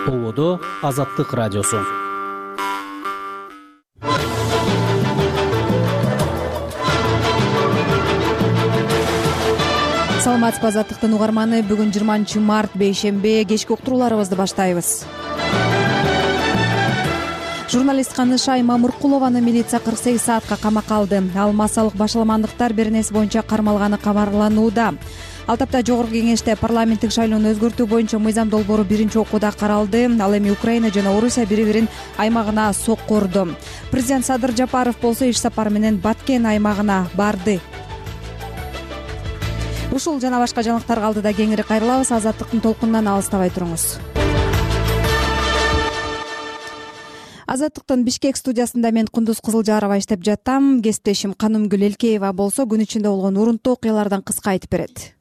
Ободо Азаттык радиосу. Саламатсызбы, Азаттыктын угарманы. Бүгүн 20 март бейшембе, кечки уктурууларыбызды баштайбыз. Журналист Канышай Мамыркулованы милиция 48 саатка камакка алды. Ал массалык башаламандыктар беренеси боюнча кармалганы кабарланууда. Ал тапта жогорку кеңеште парламенттик шайлоону өзгөртүү боюнча мыйзам долбоору биринчи окууда каралды. Ал эми Украина жана Орусия бири-бирин аймагына сокко урду. Президент Садыр Жапаров болсо иш сапары менен Баткен аймагына барды. Ушул жана башка жаңылыктарга алдыда кеңири кайрылабыз. Азаттыктын толкунунан алыстабай туруңуз. Азаттыктын Бишкек студиясында мен Кундуз Кызылжарова иштеп жаттам. Кесиптешим Канымгүл Элкеева болсо күн ичинде болгон урунттуу окуялардан кыска айтып берет.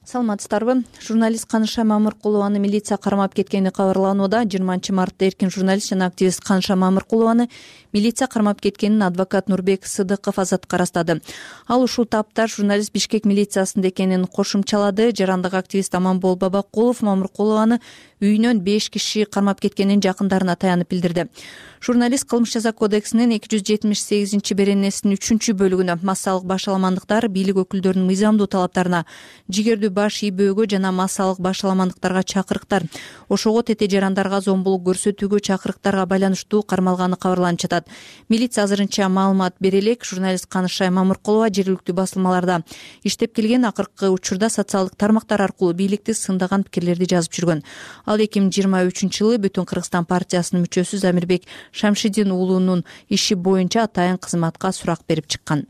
Саламатсыздарбы. Журналист Канышай Мамыркулованы милиция кармап кеткени кабарланууда. 20 мартта эркин журналист жана активист Канышай Мамыркулованы милиция кармап кеткенин адвокат Нурбек Сыдыков Азаттыкка ырастады. Ал ушул тапта журналист Бишкек милициясында экенин кошумчалады. Жарандык активист Аманбол Бабакулов Мамыркулованы үйүнөн 5 киши кармап кеткенин жакындарына таянып билдирди. Журналист Кылмыш жаза кодексинин 278 беренесинин 3-бөлүгүнө массалык башаламандыктар, бийлик өкүлдөрүнүн мыйзамдуу талаптарына, жигердүү баш ийбөөгө жана массалык башаламандыктарга чакырыктар, ошого тете жарандарга зомбулук көрсөтүүгө чакырыктарга байланыштуу кармалганы кабарланып жатат. Милиция азырынча маалымат бере элек. Журналист Канышай Мамыркулова жергиликтүү басылмаларда иштеп келген, акыркы учурда социалдык тармактар аркылуу бийликти сындаган пикирлерди жазып жүргөн. Ал 2023-жылы Бүтүн Кыргызстан партиясынын мүчөсү Замирбек Шамшидин уулунун иши боюнча атайын кызматка сурак берип чыккан.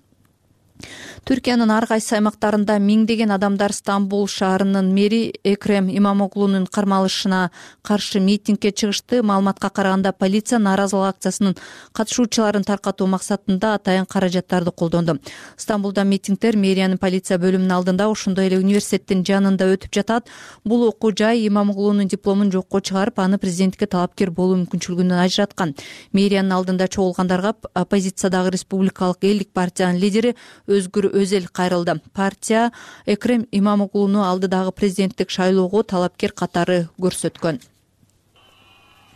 Түркиянын ар кайсы аймактарында миңдеген адамдар Стамбул шаарынын мэри Экрем Имамоглунун кармалышына каршы митингге чыгышты. Маалыматка караганда полиция нааразылык акциясынын катышуучуларын таркатуу максатында атайын каражаттарды колдонду. Стамбулда митингдер мэриянын полиция бөлүмүнүн алдында, ошондой эле университеттин жанында өтүп жатат. Бул окуу жай Имамоглунун дипломун жокко чыгарып, аны президенттикке талапкер болуу мүмкүнчүлүгүнөн ажыраткан. Мэриянын алдында чогулгандарга оппозициядагы Республикалык элдик партиянын лидери Өзгүр Өзел кайрылды. Партия Экрем Имамоглуну алдыдагы президенттик шайлоого талапкер катары көрсөткөн.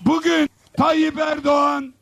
Бүгүн Тайып Эрдоган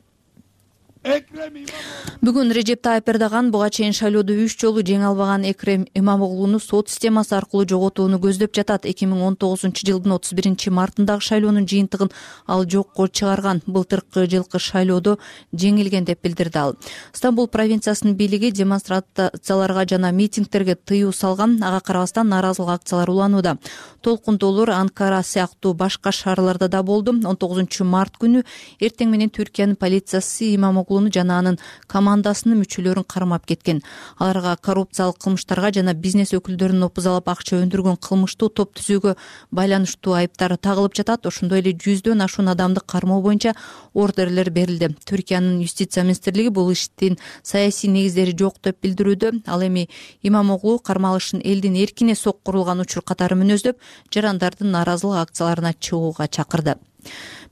Бүгүн Режеп Тайып Эрдоган буга чейин шайлоодо 3 жолу жеңе албаган Экрем Имамоглуну сот системасы аркылуу жоготууну көздөп жатат. 2019-жылдын 31 мартындагы шайлоонун жыйынтыгын ал жокко чыгарган. Былтыркы жылкы шайлоодо жеңилген деп билдирди ал. Стамбул провинциясынын бийлиги демонстрацияларга жана митингдерге тыюу салган. Ага карабастан нааразылык акциялар уланууда. Толкундоолор Анкара сыяктуу башка шаарларда да болду. 19 март күнү эртең менен Түркиянын полициясы Имамоглуну жана анын командасынын мүчөлөрүн кармап кеткен. Аларга коррупциялык кылмыштарга жана бизнес өкүлдөрүнүн опузалап акча өндүргөн кылмыштуу топ түзүүгө байланыштуу айыптар тагылып жатат. Ошондой эле 100дөн ашуун адамды кармоо боюнча ордерлер берилди. Түркиянын юстиция министрлиги бул иштин саясий негиздери жок деп билдирүүдө. Ал эми Имамоглу кармалышын элдин эркине соккурулган учур катары мүнөздөп, жарандардын нааразылык акцияларына чыгууга чакырды.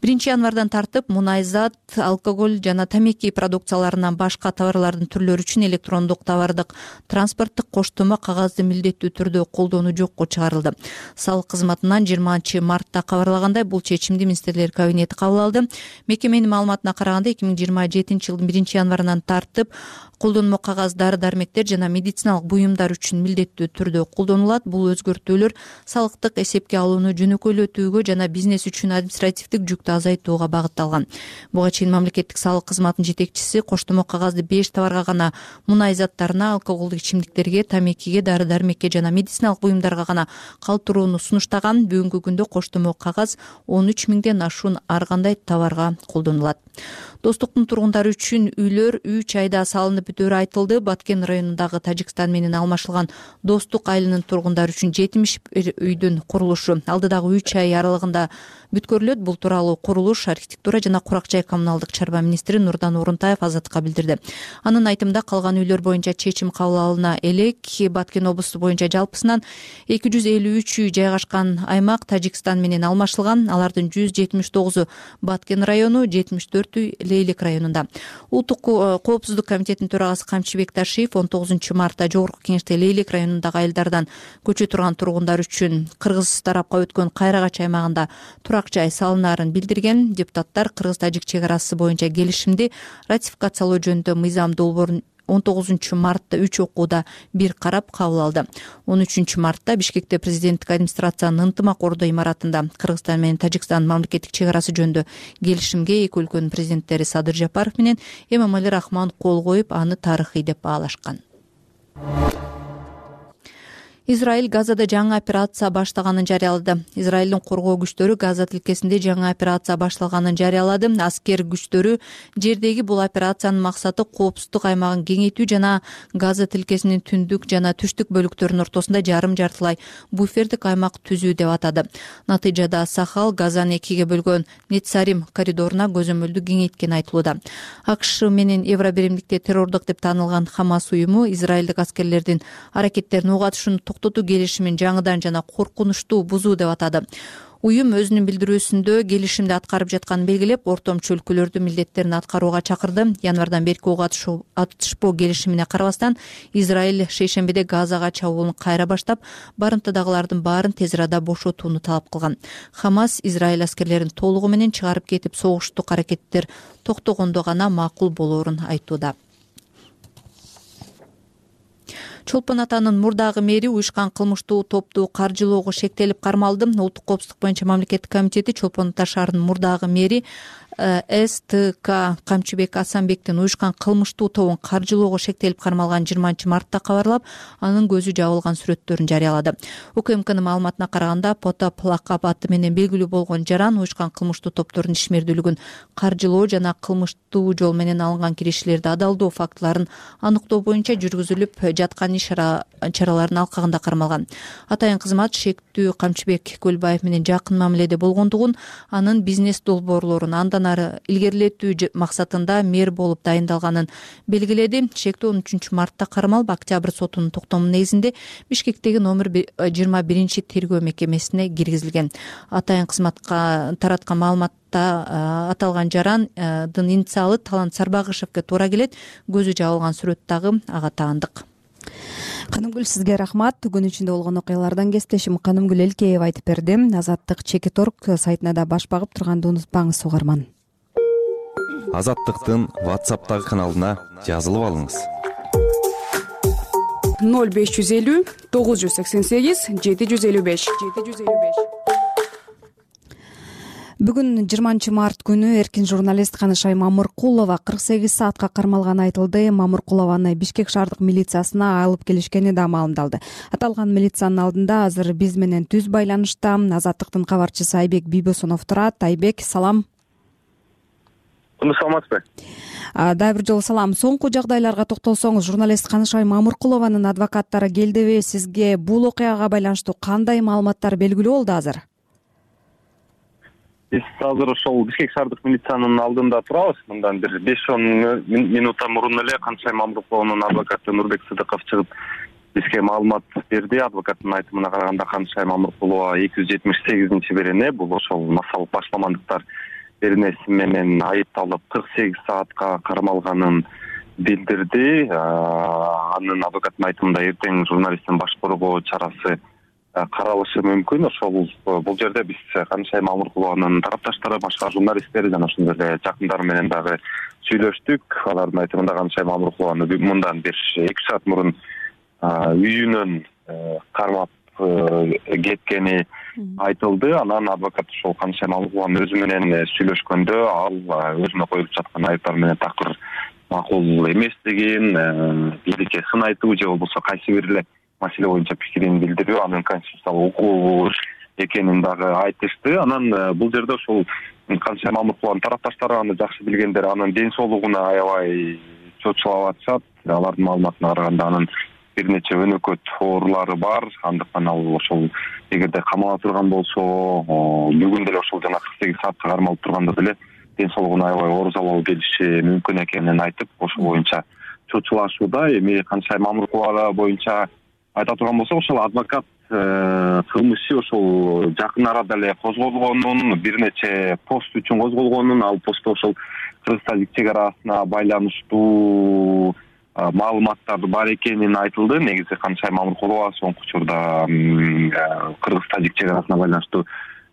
1 январдан тартып мунайзат, алкоголь жана тамеки продукцияларынан башка товарлардын түрлөрү үчүн электрондук товардык транспорттук коштомо кагазды милдеттүү түрдө колдонуу жокко чыгарылды. Салык кызматынан 20 мартта кабарлагандай, бул чечимди министрлер кабинети кабыл алды. Мекеменин маалыматына караганда 2027-жылдын 1 январынан тартып колдонмо кагаз, дары-дармектер жана медициналык буюмдар үчүн милдеттүү түрдө колдонулат. Бул өзгөртүүлөр салыктык эсепке алууну жөнөкөйлөтүүгө жана бизнес үчүн административдик жүктү азайтууга багытталган. Буга чейин мамлекеттик салык кызматынын жетекчиси коштомо кагазды 5 товарга гана, мунай заттарына, алкоголдук ичимдиктерге, тамекиге, дары-дармекке жана медициналык буюмдарга гана калтырууну сунуштаган. Бүгүнкү күндө коштомо кагаз 13 миңден ашуун ар кандай товарга колдонулат. Достуктун тургундары үчүн үйлөр 3 айда салынып бүтөөрү айтылды. Баткен районундагы Тажикстан менен алмашылган Достук айылынын тургундары үчүн 71 үйдүн курулушу алдыдагы 3 ай аралыгында бүткөрүлөт. Бул тууралуу курулуш, архитектура жана курак жай коммуналдык чарба министри Нурдан Орунтаев Азаттыкка билдирди. Анын айтымында калган үйлөр боюнча чечим кабыл алына элек. Баткен облусу боюнча жалпысынан 253 үй жайгашкан аймак Тажикстан менен алмашылган. Алардын 179-у Баткен району, 74 үй Лейлик районунда. Улуттук коопсуздук комитетинин төрагасы Камчыбек Ташиев 19 мартта жогорку кеңеште Лейлик районундагы айылдардан көчө турган тургундар үчүн кыргыз тарапка өткөн Кайрагач аймагында турак жай салынып калтырынаарын билдирген. Депутаттар кыргыз-тажик чек арасы боюнча келишимди ратификациялоо жөнүндө мыйзам долбоорун 19 мартта 3 окууда бир карап кабыл алды. 13 мартта Бишкекте президенттик администрациянын ынтымак ордо имаратында Кыргызстан менен Тажикстан мамлекеттик чек арасы жөнүндө келишимге эки өлкөнүн президенттери Садыр Жапаров менен Эмомали Рахмон кол коюп, аны тарыхый деп баалашкан. Израиль Газада жаңы операция баштаганын жарыялады. Израилдин коргоо күчтөрү Газа тилкесинде жаңы операция башталганын жарыялады. Аскер күчтөрү жердеги бул операциянын максаты коопсуздук аймагын кеңейтүү жана Газа тилкесинин түндүк жана түштүк бөлүктөрүнүн ортосунда жарым-жартылай буфердик аймак түзүү деп атады. Натыйжада Сахал Газаны экиге бөлгөн Нетсарим коридоруна көзөмөлдү кеңейткени айтылууда. АКШ менен Евробиримдикте террордук деп таанылган Хамас уюму израилдик аскерлердин аракеттерине уг атышууну токтотуу келишимин жаңыдан жана коркунучтуу бузуу деп атады. Уюм өзүнүн билдирүүсүндө келишимди аткарып жатканын белгилеп, ортомчу өлкөлөрдү милдеттерин аткарууга чакырды. Январдан берки уг атышпоо келишимине карабастан, Израиль шейшембиде Газага чабуулун кайра баштап, барымтадагылардын баарын тез арада бошотууну талап кылган. Хамас Израиль аскерлерин толугу менен чыгарып кетип, согуштук аракеттер токтогондо гана макул болоорун айтууда. Чолпон Атанын мурдагы мэри уюшкан кылмыштуу топту каржылоого шектелип кармалды. Улуттук коопсуздук боюнча мамлекеттик комитети Чолпон Ата шаарынын мурдагы мэри СТК Камчыбек Асанбектин уюшкан кылмыштуу тобун каржылоого шектелип кармалган 20-мартта кабарлап, анын көзү жабылган сүрөттөрүн жарыялады. УКМКнын маалыматына караганда, Потап лакап аты менен белгилүү болгон жаран уюшкан кылмыштуу топтордун ишмердүүлүгүн каржылоо жана кылмыштуу жол менен алынган кириштерди адалдоо фактыларын аныктоо боюнча жүргүзүлүп жаткан иш-чаралардын алкагында кармалган. Атайын кызмат шектүү Камчыбек Көлбаев менен жакын мамиледе болгондугун, анын бизнес долбоорлорун андан ары илгерилетүү максатында мэр болуп дайындалганын белгиледи. Шектүү 13 мартта кармалып, октябрь сотунун токтому негизинде Бишкектеги номер 21 тергөө мекемесине киргизилген. Атайын кызматка тараткан маалыматта аталган жарандын инициалы Талант Сарбагышевке туура келет. Көзү жабылган сүрөт дагы ага таандык. Канымгүл, сизге рахмат. Күн ичинде болгон окуялардан кесиптешим Канымгүл Элкеева айтып берди. Азаттык Чекиторг сайтына да баш багып турганды унутпаңыз, угарман. Азаттыктын WhatsApp'тагы каналына жазылып алыңыз. 0550 988 755. Бүгүн 20 март күнү эркин журналист Канышай Мамыркулова 48 саатка кармалганы айтылды. Мамыркулованы Бишкек шаардык милициясына алып келишкени да маалымдалды. Аталган милициянын алдында азыр биз менен түз байланышта Азаттыктын кабарчысы Айбек Бийбосунов турат. Айбек, салам. Саламатсызбы? Дагы бир жолу салам. Соңку жагдайларга токтолсоңуз, журналист Канышай Мамыркулованын адвокаттары келдиби? Сизге бул окуяга байланыштуу кандай маалыматтар белгилүү болду азыр? Биз азыр ошол Бишкек шаардык милициянын алдында турабыз. Мындан бир 5-10 минутта мурун эле Канышай Мамыркулованын адвокаты Нурбек Сыдыков чыгып бизге маалымат берди. Адвокаттын айтымына караганда, Канышай Мамыркулова 278-берене, бул ошол массалык башламандыктар беренеси менен айыпталып 48 саатка кармалганын билдирди. Анын адвокаттын айтымында эртең журналисттин баш коргоо чарасы каралышы мүмкүн. Ошол бул жерде биз Канышай Мамыркулованын тарапташтары, башка журналисттер жана ошондой эле жакындары менен дагы сүйлөштүк. Алардын айтымында Канышай Мамыркулованы мындан бир 2 саат мурун үйүнөн кармап кеткени айтылды. Анан адвокат ошол Канышай Мамыркулованын өзү менен сүйлөшкөндө, ал өзүнө коюлуп жаткан айыптар менен такыр макул эместигин, бийликке сын айтуу же болбосо кайсы бир эле маселе боюнча пикирин билдирүү анын конституциялык укугу экенин дагы айтышты. Анан бул жерде ошол Канышай Мамыркулованын тарапташтары аны жакшы билгендер, анын ден соолугуна аябай чочулап атышат. Алардын маалыматына караганда, анын бир нече өнөкөт оорулары бар. Андыктан ал ошол эгерде камала турган болсо, бүгүн деле ошол жана 48 саатка кармалып турганда деле ден соолугуна аябай оор залал келиши мүмкүн экенин айтып, ошол боюнча чочулашууда. Эми Канышай Мамыркулова боюнча айта турган болсок, ошол адвокат кылмышы ошол жакын арада эле козголгонун, бир нече пост үчүн козголгонун, ал постто ошол Кыргыз-Тажик чек арасына байланыштуу маалыматтар бар экенин айтылды. Негизи Канышай Мамыркулова соңку учурда Кыргыз-Тажик чек арасына байланыштуу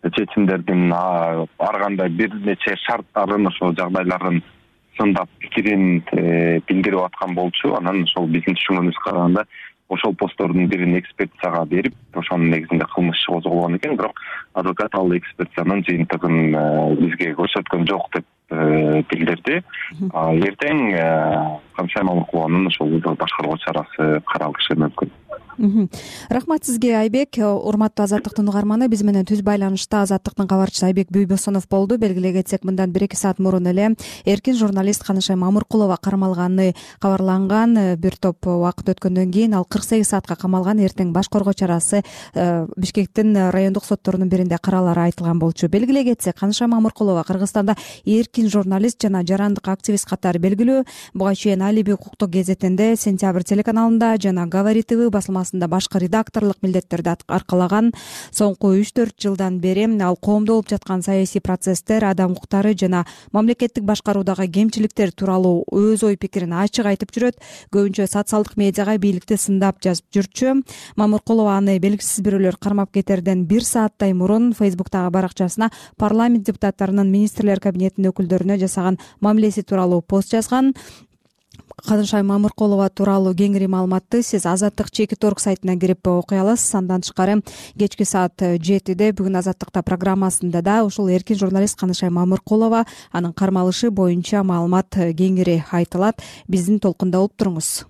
чечимдердин ар кандай бир нече шарттарын, ошол жагдайларын сындап пикирин билдирип аткан болчу. Анан ошол биздин түшүнгөнүбүзгө караганда ошол посттордун бирин экспертизага берип, ошонун негизинде кылмыш иши козголгон экен. Бирок адвокат ал экспертизанын жыйынтыгын бизге көрсөткөн жок деп билдирди. Эртең Канышай Мамыркулованын ошол башкаруу чарасы каралышы мүмкүн. Рахмат сизге, Айбек. Урматтуу Азаттыктын угарманы, биз менен түз байланышта Азаттыктын кабарчысы Айбек Бүйбосонов болду. Белгилей кетсек, мындан 1-2 саат мурун эле эркин журналист Канышай Мамыркулова кармалганы кабарланган. Бир топ убакыт өткөндөн кийин ал 48 саатка камалган. Эртең баш коргоо чарасы Бишкектин райондук сотторунун биринде каралары айтылган болчу. Белгилей кетсек, Канышай Мамыркулова Кыргызстанда эркин журналист жана жарандык активист катары белгилүү. Буга чейин Алиби укуктук гезетинде, Сентябрь телеканалында жана Говори ТВ басылмасында башкы редакторлук милдеттерди аркалаган. Соңку 3-4 жылдан бери ал коомдо болуп жаткан саясий процесстер, адам укуктары жана мамлекеттик башкаруудагы кемчиликтер тууралуу өз ой пикирин ачык айтып жүрөт. Көбүнчө социалдык медиага бийликти сындап жазып жүрчү. Мамыркулова аны белгисиз бирөөлөр кармап кетерден 1 сааттай мурун Фейсбуктагы баракчасына парламент депутаттарынын министрлер кабинетинин өкүлдөрүнө жасаган мамилеси тууралуу пост жазган. Канышай Мамыркулова тууралуу кеңири маалыматты сиз Азаттык Чеки.org сайтына кирип окуй аласыз. Андан тышкары кечки саат 7-де бүгүн Азаттыкта программасында да ушул эркин журналист Канышай Мамыркулова анын кармалышы боюнча маалымат кеңири айтылат. Биздин толкунда болуп туруңуз.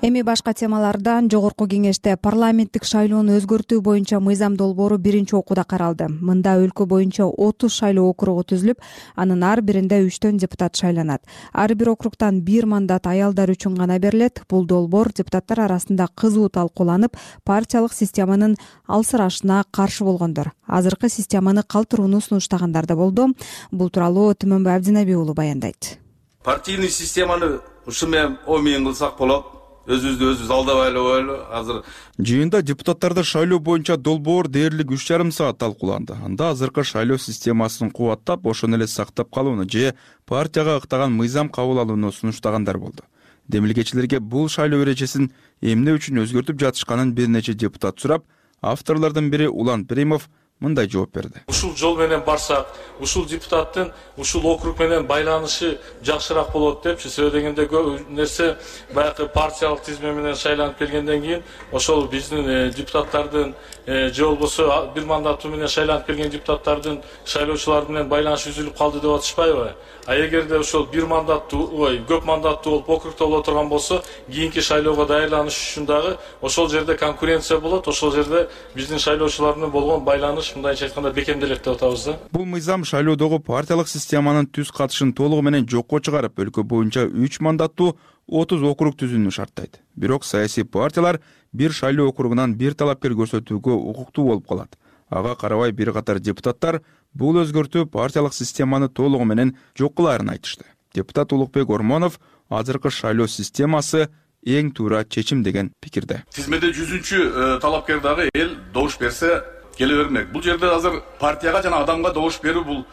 Эми башка темалардан жогорку кеңеште парламенттик шайлоону өзгөртүү боюнча мыйзам долбоору биринчи окууда каралды. Мында өлкө боюнча 30 шайлоо округу түзүлүп, анын ар биринде 3төн депутат шайланат. Ар бир округтан 1 мандат аялдар үчүн гана берилет. Бул долбоор депутаттар арасында кызуу талкууланып, партиялык системанын алсырашына каршы болгондор. Азыркы системаны калтырууну сунуштагандар да болду. Бул тууралуу Түмөнбай Абдинаби уулу баяндайт. Партийный системаны ушу менен омен кылсак болот. Өзүбүздү өзүбүз алдабайлы ойлу. Азыр жыйында депутаттарды шайлоо боюнча долбоор дээрлик 3,5 саат талкууланды. Анда азыркы шайлоо системасын кубаттап, ошону эле сактап калууну же партияга ыктаган мыйзам кабыл алууну сунуштагандар болду. Демилгечилерге бул шайлоо эрежесин эмне үчүн өзгөртүп жатышканын бир нече депутат сурап, авторлордун бири Улан Перимов мындай жооп берди. Ушул жол менен барсак, ушул депутаттын ушул округ менен байланышы жакшыраак болот депчи. Себеби дегенде көп нерсе баягы партиялык тизме менен шайланып келгенден кийин ошол биздин депутаттардын же болбосо бир мандаты менен шайланып келген депутаттардын шайлоочулар менен байланышы үзүлүп калды деп атышпайбы? А эгерде ошол бир мандаттуу, көп мандаттуу болуп округда боло турган болсо, кийинки шайлоого даярданыш үчүн дагы ошол жерде конкуренция болот, ошол жерде биздин шайлоочулар менен болгон байланыш мындайча айтканда бекемделет деп атабыз да. Бул мыйзам шайлоодогу партиялык системанын түз катышын толугу менен жокко чыгарып, өлкө боюнча 3 мандаттуу 30 округ түзүүнү шарттайт. Бирок саясий партиялар бир шайлоо округунан бир талапкер көрсөтүүгө укуктуу болуп калат. Ага карабай бир катар депутаттар бул өзгөртүү партиялык системаны толугу менен жок кылаарын айтышты. Депутат Улукбек Ормонов азыркы шайлоо системасы эң туура чечим деген пикирде. Тизмеде 100-чү талапкер дагы эл добуш берсе келе бермек. Бул жерде азыр партияга жана адамга добуш берүү бул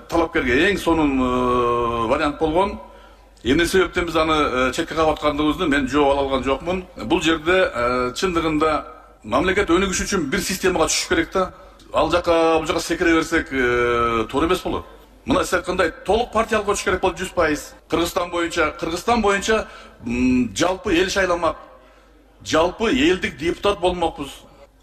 талапкерге эң сонун вариант болгон. Эмне себептен биз аны четке кагып аткандыгыбызды мен жооп ала алган жокмун. Бул жерде чындыгында мамлекет өнүгүш үчүн бир системага түшүш керек да. Ал жака бул жака секире берсек туура эмес болот. Мына сиз айткандай толук партиялык өтүш керек болот 100%. Кыргызстан боюнча жалпы эл шайламак. Жалпы элдик депутат болмокпуз.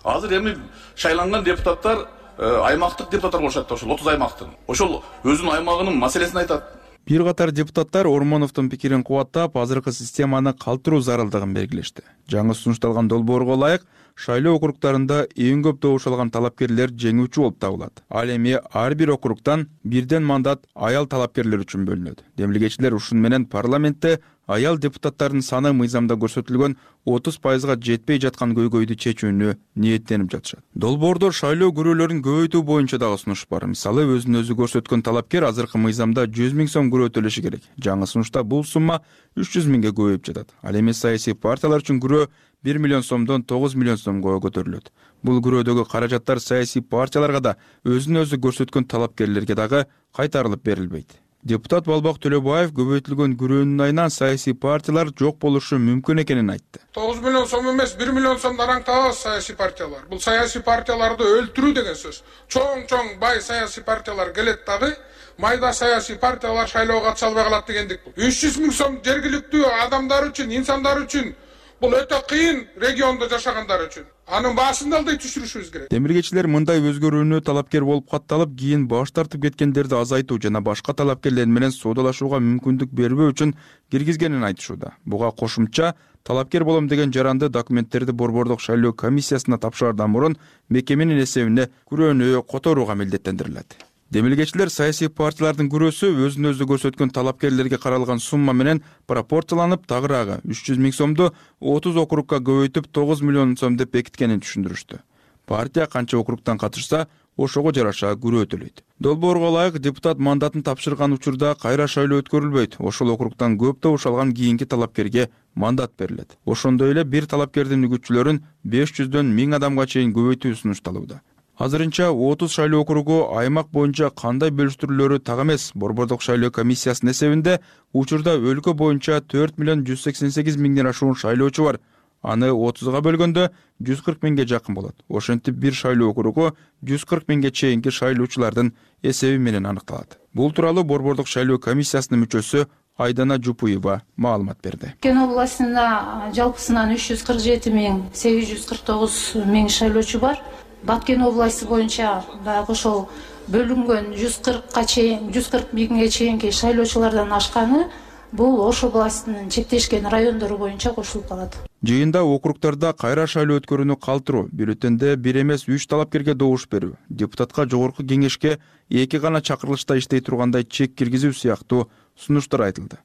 Азыр эми шайланган депутаттар аймактык депутаттар болушат, ошол 30 аймактын. Ошол өзүнүн аймагынын маселесин айтат. Бир катар депутаттар Ормоновдун пикирин кубаттап, азыркы системаны калтыруу зарылдыгын белгилешти. Жаңы сунушталган долбоорго ылайык шайлоо округдарында эң көп добуш алган талапкерлер жеңүүчү болуп табылат. Ал эми ар бир округдан бирден мандат аял талапкерлер үчүн бөлүнөт. Демилгечилер ушун менен парламентте аял депутаттардын саны мыйзамда көрсөтүлгөн 30%га жетпей жаткан көйгөйдү чечүүнү ниеттенип жатышат. Долбоордо шайлоо күрөөлөрүн көбөйтүү боюнча дагы сунуш бар. Мисалы, өзүн өзү көрсөткөн талапкер азыркы мыйзамда 100 000 сом күрөө төлөшү керек. Жаңы сунушта бул сумма 300 000ге көбөйүп жатат. Ал эми саясий партиялар үчүн күрөө 1 миллион сомдон 9 миллион сомго көтөрүлөт. Бул күрөөдөгү каражаттар саясий партияларга да өзүн өзү көрсөткөн талапкерлерге дагы кайтарылып берилбейт. Депутат Балбак Төлөбаев көбөйтүлгөн күрөөнүн айынан саясий партиялар жок болушу мүмкүн экенин айтты. 9 миллион сом эмес, 1 миллион сомдон араңтабыз саясий партиялар. Бул саясий партияларды өлтүрүү деген сөз. Чоң бай саясий партиялар келет дагы, майда саясий партиялар шайлоого катыша албай калат дегендик бул. 300 миң сом жергиликтүү адамдар үчүн, инсандар үчүн бул өтө кыйын региондо жашагандар үчүн. Анын баасын да алдай түшүрүшүбүз керек. Демилгечилер мындай өзгөрүүнү талапкер болуп катталып, кийин баш тартып кеткендерди азайтуу жана башка талапкерлер менен соодалашууга мүмкүндүк бербөө үчүн киргизгенин айтышууда. Буга кошумча талапкер болом деген жаранды документтерди Борбордук шайлоо комиссиясына тапшыраардан мурун мекеменин эсебине күрөөнү которууга милдеттендирилет. Демилгечилер саясий партиялардын күрөөсү өзүн өзү көрсөткөн талапкерлерге каралган сумма менен пропорцияланып, тагыраагы 300 миң сомду 30 округга көбөйтүп 9 миллион сом деп бекиткенин түшүндүрүштү. Партия канча округтан катышса, ошого жараша күрөө төлөйт. Долбоорго ылайык депутат мандатын тапшырган учурда кайра шайлоо өткөрүлбөйт. Ошол округтан көп добуш алган кийинки талапкерге мандат берилет. Ошондой эле бир талапкердин үгүтчүлөрүн 500дөн 1000 адамга чейин көбөйтүү сунушталууда. Азырынча 30 шайлоо округу аймак боюнча кандай бөлүштүрүлөрү так эмес. Борбордук шайлоо комиссиясынын эсебинде учурда өлкө боюнча 4 миллион 188 миңден ашуун шайлоочу бар. Аны 30га бөлгөндө 140 миңге жакын болот. Ошентип бир шайлоо округу 140 миңге чейинки шайлоочулардын эсеби менен аныкталат. Бул тууралуу Борбордук шайлоо комиссиясынын мүчөсү Айдана Жупуева маалымат берди. Кен областында жалпысынан 347,849 миң шайлоочу бар. Баткен областы боюнча дагы ошол бөлүнгөн 140 миңге чейинки шайлоочулардан ашканы бул Ош областынын чектешкен райондору боюнча кошулуп калат. Жыйында округдарда кайра шайлоо өткөрүүнү калтыруу, бюллетенде бир эмес 3 талапкерге добуш берүү, депутатка жогорку кеңешке 2 гана чакырылышта иштей тургандай чек киргизүү сыяктуу сунуштар айтылды.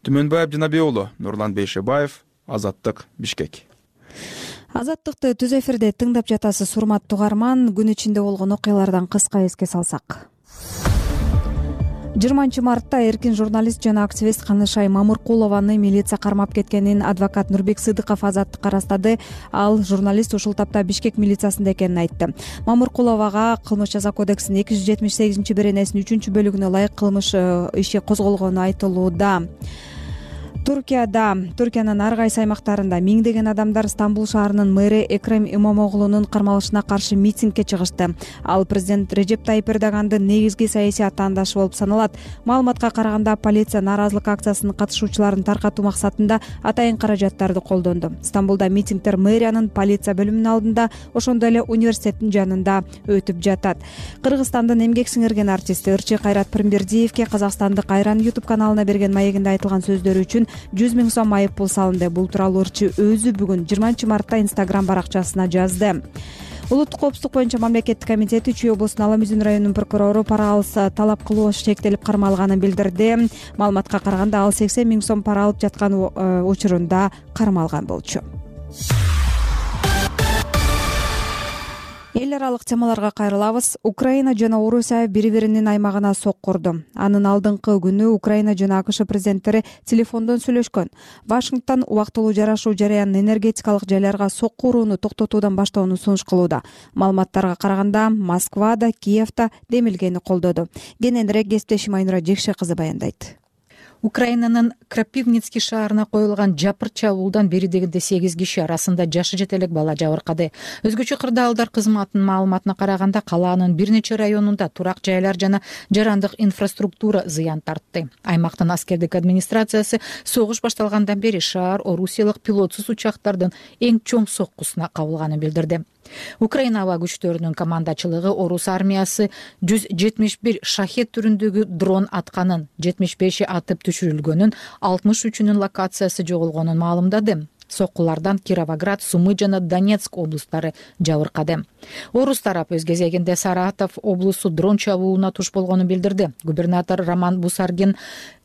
Түмөнбаев Жанабек уулу, Нурлан Бейшебаев, Азаттык, Бишкек. Азаттыкты түз эфирде тыңдап жатасыз, урматтуу угарман. Күн ичинде болгон окуялардан кыска эске салсак. 20-мартта эркин журналист жана активист Канышай Мамыркулованы милиция кармап кеткенин адвокат Нурбек Сыдыков Азаттыкка ырастады. Ал журналист ушул тапта Бишкек милициясында экенин айтты. Мамыркуловага Кылмыш жаза кодексинин 278-беренесинин 3-бөлүгүнө ылайык кылмыш иши козголгону айтылууда. Туркиянын ар кайсы аймактарында миңдеген адамдар Стамбул шаарынын мэри Экрем Имамоглунун кармалышына каршы митингге чыгышты. Ал президент Режеп Тайип Эрдогандын негизги саясий атаандашы болуп саналат. Маалыматка караганда полиция нааразылык акциясынын катышуучуларын таркатуу максатында атайын каражаттарды колдонду. Стамбулда митингдер мэриянын полиция бөлүмүнүн алдында, ошондой эле университеттин жанында өтүп жатат. Кыргызстандын эмгек сиңирген артисти Ырчы Кайрат Пирмбердиевке Казакстандык Айран YouTube каналына берген маегинде айтылган сөздөрү үчүн 100 миң сом айып пул салынды. Бул тууралуу Ырчы өзү бүгүн 20-мартта Instagram баракчасына жазды. Улуттук коопсуздук боюнча мамлекеттик комитети Чүй облусунун Ала Мүзүн районунун прокурору пара алыс талап кылуу шектелип кармалганын билдирди. Маалыматка караганда ал 80 миң сом пара алып жаткан учурунда кармалган болчу. Эл аралык темаларга кайрылабыз. Украина жана Орусия бири-биринин аймагына соккурду. Анын алдыңкы күнү Украина жана АКШ президенттери телефондон сүйлөшкөн. Вашингтон убактылуу жарашуу жарыян энергетикалык жайларга сокку урууну токтотуудан баштоону сунуш кылууда. Маалыматтарга караганда Москвада, Киевде демилгени колдоду. Кененирээк кесиптешим Айнура Жекше кызы баяндайт. Украинанын Крапивницкий шаарына коюлган жапыр чабуулдан бери дегенде 8 киши арасында жашы жете элек бала жабыркады. Өзгөчө кырдаалдар кызматынын маалыматына караганда калаанын бир нече районунда турак жайлар жана жарандык инфраструктура зыян тартты. Аймактын аскердик администрациясы согуш башталгандан бери шаар орусиялык пилотсуз учактардын эң чоң соккусуна кабылганын билдирди. Украина аба күчтөрүнүн командачылыгы орус армиясы 171 шахет түрүндөгү дрон атканын, 75и атып түшүрүлгөнүн, 63-үнүн локациясы жоголгонун маалымдады. Соккулардан Кировоград, Сумы жана Донецк облустары жабыркады. Орус тарап өз кезегинде Саратов облусу дрон чабуулуна туш болгонун билдирди. Губернатор Роман Бусаргин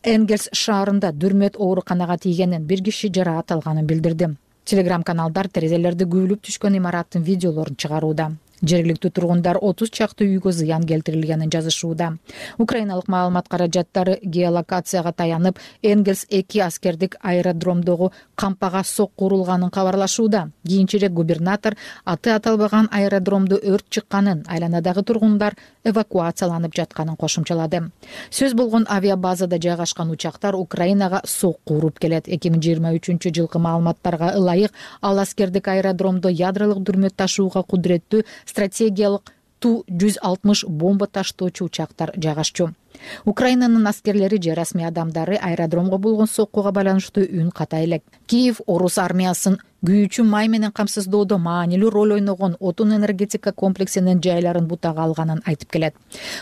Энгельс шаарында дүрмөт ооруканага тийгенин, бир киши жараат алганын билдирди. Телеграм-каналдар терезелерди күбүлүп түшкөн имараттын видеолорун чыгарууда. Жергиликтүү тургундар 30 чакты үйгө зыян келтирилгенин жазышууда. Украиналык маалымат каражаттары геолокацияга таянып, Энгельс-2 аскердик аэродромдогу кампага сокку урулганын кабарлашууда. Кийинчерээк губернатор аты аталбаган аэродромдо өрт чыкканын, айланадагы тургундар эвакуацияланып жатканын кошумчалады. Сөз болгон авиабазада жайгашкан учактар Украинага сокку уруп келет. 2023 жылкы маалыматтарга ылайык, ал аскердик аэродромдо ядролук дүрмөт ташууга кудуреттүү стратегиялык Ту-160 бомба таштоочу учактар жайгашчу. Украинанын аскерлери же расмий адамдары аэродромго болгон соккуга байланыштуу үн ката элек. Киев орус армиясын күйүүчү май менен камсыздоодо маанилүү роль ойногон отун энергетика комплексинин жайларын бутага алганын айтып келет.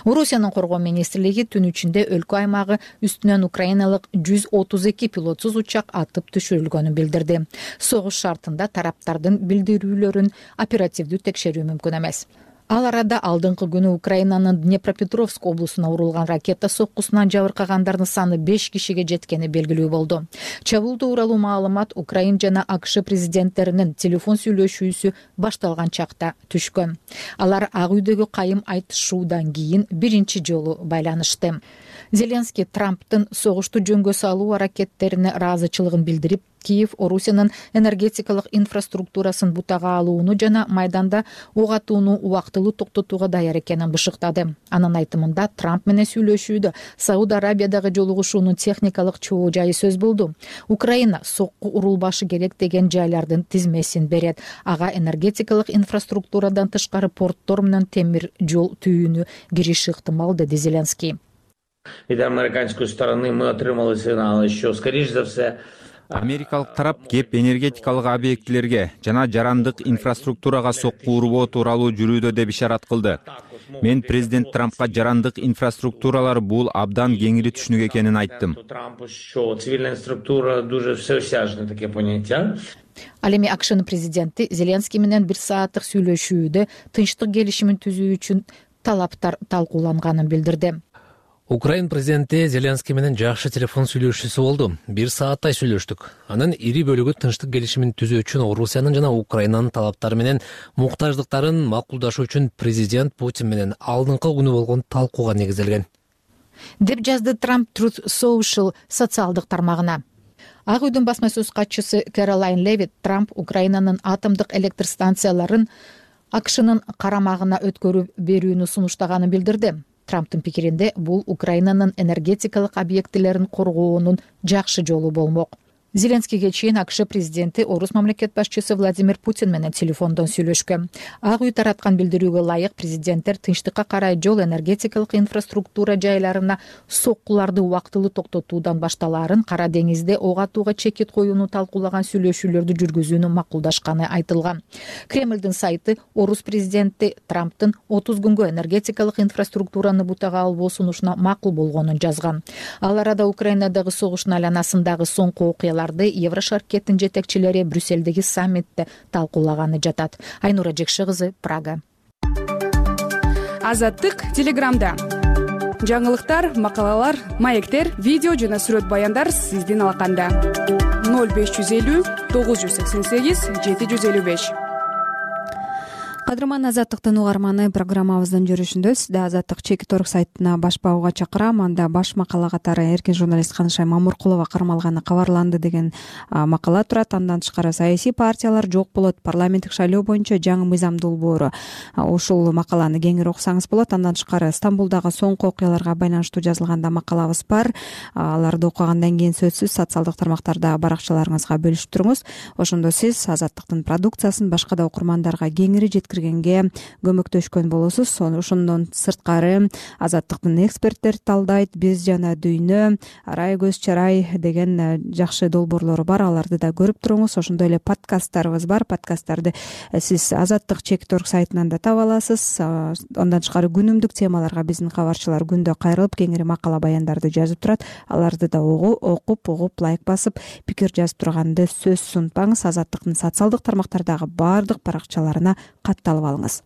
Орусиянын коргоо министрлиги түн ичинде өлкө аймагы үстүнөн украиналык 132 пилотсуз учак атып түшүрүлгөнүн билдирди. Согуш шартында тараптардын билдирүүлөрүн оперативдүү текшерүү мүмкүн эмес. Ал арада алдыңкы күнү Украинанын Днепропетровск облусуна урулган ракета соккусунан жабыркагандардын саны 5 кишиге жеткени белгилүү болду. Чабуул тууралуу маалымат Украин жана АКШ президенттеринин телефон сүйлөшүүсү башталган чакта түшкөн. Алар Ак үйдөгү кайым айтышуудан кийин биринчи жолу байланышты. Зеленский Трамптын согушту жөнгө салуу аракеттерине ыраазычылыгын билдирип, Киев Орусиянын энергетикалык инфраструктурасын бутага алууну жана майданда ок атууну убактылуу токтотууга даяр экенин бышыктады. Анын айтымында Трамп менен сүйлөшүүдө Сауд Арабиядагы жолугушуунун техникалык чоо жайы сөз болду. Украина сокку урулбашы керек деген жайлардын тизмесин берет. Ага энергетикалык инфраструктурадан тышкары порттор менен темир жол түйүүнү кириши ыктымал, деди Зеленский. Від американської сторони ми отримали сигнали, що, скоріш за все, Америкалык тарап кеп энергетикалык объектилерге жана жарандык инфраструктурага сокку урбоо тууралуу жүрүүдө деп ишарат кылды. Мен президент Трампка жарандык инфраструктуралар бул абдан кеңири түшүнүк экенин айттым. Трампу, що цивільна структура дуже всеосяжне таке поняття. Ал эми АКШнын президенти Зеленский менен 1 сааттык сүйлөшүүдө тынчтык келишимин түзүү үчүн талаптар талкууланганын билдирди. Украин президенти Зеленский менен жакшы телефон сүйлөшүүсү болду. 1 сааттай сүйлөштүк. Анын ири бөлүгү тынчтык келишимин түзүү үчүн Орусиянын жана Украинанын талаптары менен муктаждыктарын макулдашуу үчүн президент Путин менен алдыңкы күнү болгон талкууга негизделген. Деп жазды Трамп Truth Social социалдык тармагына. Ак үйдүн басма сөз катчысы Кэролайн Левит Трамп Украинанын атомдук электр станцияларын АКШнын карамагына өткөрүп берүүнү сунуштаганын билдирди. Трамптын пикиринде бул Украинанын энергетикалык объектилерин коргоонун жакшы жолу болмок. Зеленскийге чейин АКШ президенти орус мамлекет башчысы Владимир Путин менен телефондон сүйлөшкөн. Ак үй тараткан билдирүүгө ылайык президенттер тынчтыкка карай жол энергетикалык инфраструктура жайларына соккуларды убактылуу токтотуудан башталаарын, Кара деңизде ок атууга чекит коюуну талкуулаган сүйлөшүүлөрдү жүргүзүүнү макулдашканы айтылган. Кремлдин сайты орус президенти Трамптын 30 күнгө энергетикалык инфраструктураны бутага албоо сунушуна макул болгонун жазган. Ал арада Украинадагы согуштун айланасындагы соңку окуялар Еврошаркеттин жетекчилери Брюссельдеги саммитте талкуулаганы жатат. Айнура Жекши кызы, Прага. Азаттык телеграмда. Жаңылыктар, макалалар, маектер, видео жана сүрөт баяндар сиздин алаканда. 0550 988 755. Кадырман Азаттыктын угарманы, программабыздын жүрүшүндө сизди Азаттык Чекит.орг сайтына баш багууга чакырам. Анда баш макала катары эркин журналист Канышай Мамуркулова кармалганы кабарланды деген макала турат. Андан тышкары саясий партиялар жок болот, парламенттик шайлоо боюнча жаңы мыйзам долбоору. Ушул макаланы кеңири окусаңыз болот. Андан тышкары Стамбулдагы соңку окуяларга байланыштуу жазылганда макалабыз бар. Аларды окугандан кийин сөзсүз социалдык тармактарда баракчаларыңызга бөлүшүп туруңуз. Ошондо сиз Азаттыктын продукциясын башка да окурмандарга кеңири жеткиргенге көмөктөшкөн болосуз. Ошондон сырткары Азаттыктын эксперттер талдайт, биз жана дүйнө, арай көз чарай деген жакшы долбоорлору бар. Аларды да көрүп туруңуз. Ошондой эле подкасттарыбыз бар. Подкасттарды сиз Азаттык Чекит.орг сайтынан да таба аласыз. Андан тышкары күнүмдүк темаларга биздин кабарчылар күндө кайрылып кеңири макала баяндарды жазып турат. Аларды да окуп, лайк басып, пикир жазып турганды сөзсүз унутпаңыз. Азаттыктын социалдык тармактардагы баардык баракчаларына катталып алыңыз.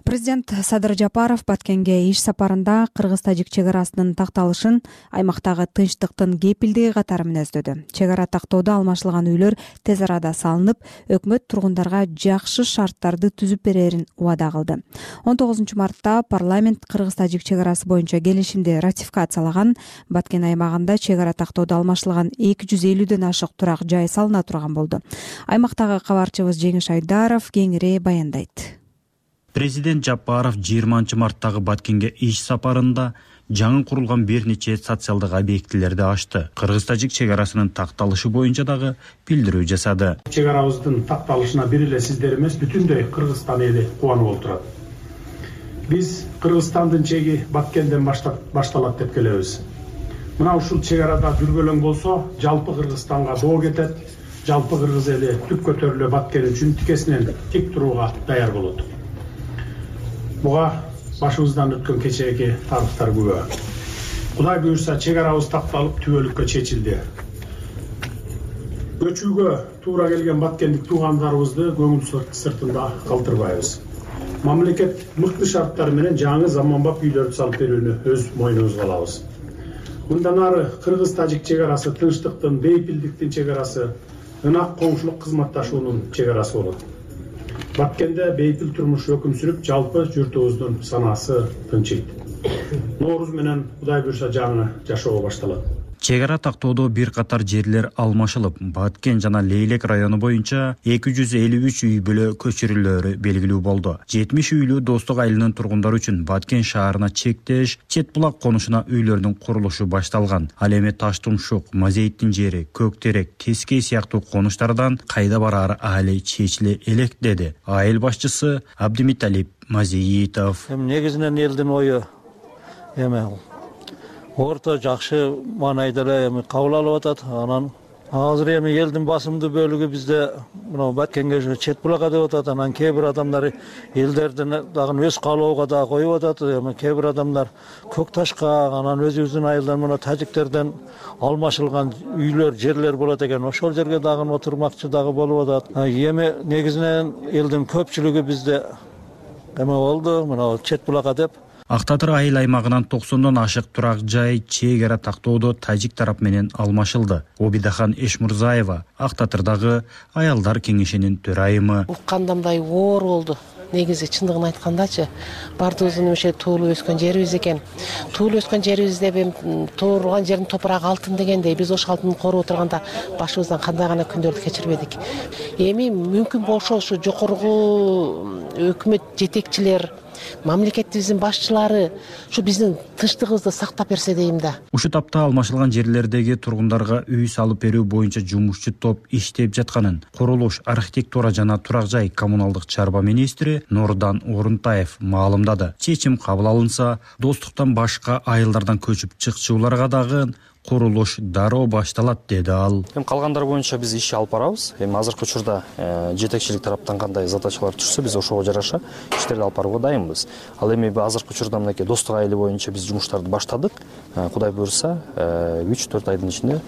Президент Садыр Жапаров Баткенге иш сапарында кыргыз-тажик чек арасынын такталышын аймактагы тынчтыктын кепилдиги катары мүнөздөдү. Чек ара тактоодо алмашылган үйлөр тез арада салынып, өкмөт тургундарга жакшы шарттарды түзүп берерин убада кылды. 19 мартта парламент кыргыз-тажик чек арасы боюнча келишимди ратификациялаган. Баткен аймагында чек ара тактоодо алмашылган 250ден ашык турак жай салына турган болду. Аймактагы кабарчыбыз Жеңиш Айдаров кеңири баяндайт. Президент Жапаров 20 марттагы Баткенге иш сапарында жаңы курулган бир нече социалдык объектилерди ачты. Кыргыз-тажик чек арасынын такталышы боюнча дагы билдирүү жасады. Чек арабыздын такталышына бир эле сиздер эмес, бүтүндөй Кыргызстан эли кубанып отурат. Биз Кыргызстандын чеги Баткенден башталат деп келебиз. Мына ушул чек арада дүрбөлөң болсо, жалпы Кыргызстанга доо кетет, жалпы кыргыз эли түп көтөрүлө Баткен үчүн тикесинен тик турууга даяр болот. Буга башыбыздан өткөн кечээки тарыхтар күбө. Кудай буйрса чек арабыз такталып түбөлүккө чечилди. Көчүүгө туура келген баткендик туугандарыбызды көңүл сыртында калтырбайбыз. Мамлекет мыкты шарттар менен жаңы заманбап үйлөрдү салып берүүнү өз мойнубузга алабыз. Мындан ары кыргыз-тажик чек арасы тынчтыктын, бейпилдиктин чек арасы, ынак коңшулук кызматташуунун чек арасы болот. Баткенде бейпил турмуш өкүм сүрүп, жалпы журтубуздун санаасы тынчыйт. Нооруз менен Кудай буйрса жаңы жашоо башталат. Чек ара тактоодо бир катар жерлер алмашылып, Баткен жана Лейлек району боюнча 253 үй бүлө көчүрүлөөрү белгилүү болду. 70 үйлүү Достук айылынын тургундары үчүн Баткен шаарына чектеш, Чет булак конушуна үйлөрдүн курулушу башталган. Ал эми Таштумшук, Мазейиттин жери, Көктерек, Тескей сыяктуу конуштардан кайда бараары али чечиле элек деди айыл башчысы Абдимиталип Мазеитов. Негизинен элдин ою орто жакшы маанайда эле кабыл алып атат. Анан азыр эми элдин басымдуу бөлүгү бизде мына Баткенге Чет булакка деп атат. Анан кээ бир адамдар элдердин дагы өз каалоого да коюп атат. Кээ бир адамдар Көк Ташка, анан өзүбүздүн айылдан мына тажиктерден алмашылган үйлөр, жерлер болот экен. Ошол жерге дагы отурмакчы дагы болуп атат. Эми негизинен элдин көпчүлүгү бизде болду мына Чет булакка деп. Ак Татыр айыл аймагынан 90дон ашык турак жай чек ара тактоодо тажик тарап менен алмашылды. Обидахан Эшмурзаева Ак Татырдагы аялдар кеңешинин төрайымы. Укканда мындай оор болду. Негизи чындыгын айткандачы, бардыгыбыздын ошо туулуп өскөн жерибиз экен. Туулуп өскөн жерибизде турган жердин топурагы алтын дегендей, биз ошол алтынды коруп отурганда башыбыздан кандай гана күндөрдү кечирбедик. Эми мүмкүн болсо ушу жогорку өкмөт жетекчилер, мамлекетибиздин башчылары ушу биздин тынчтыгыбызды сактап берсе дейм да. Ушу тапта алмашылган жерлердеги тургундарга үй салып берүү боюнча жумушчу топ иштеп жатканын курулуш, архитектура жана турак жай коммуналдык чарба министри Нурдан Орунтаев маалымдады. Чечим кабыл алынса, Достуктан башка айылдардан көчүп чыкчуларга дагы курулуш дароо башталат деди ал. Калгандар боюнча биз иш алып барабыз. Азыркы учурда жетекчилик тараптан кандай задачалар түшсө, биз ошого жараша иштерди алып барууга дайынбыз. Ал эми азыркы учурда мынакей Достук айылы боюнча биз жумуштарды баштадык. Кудай буйрса 3-4 айдын ичинде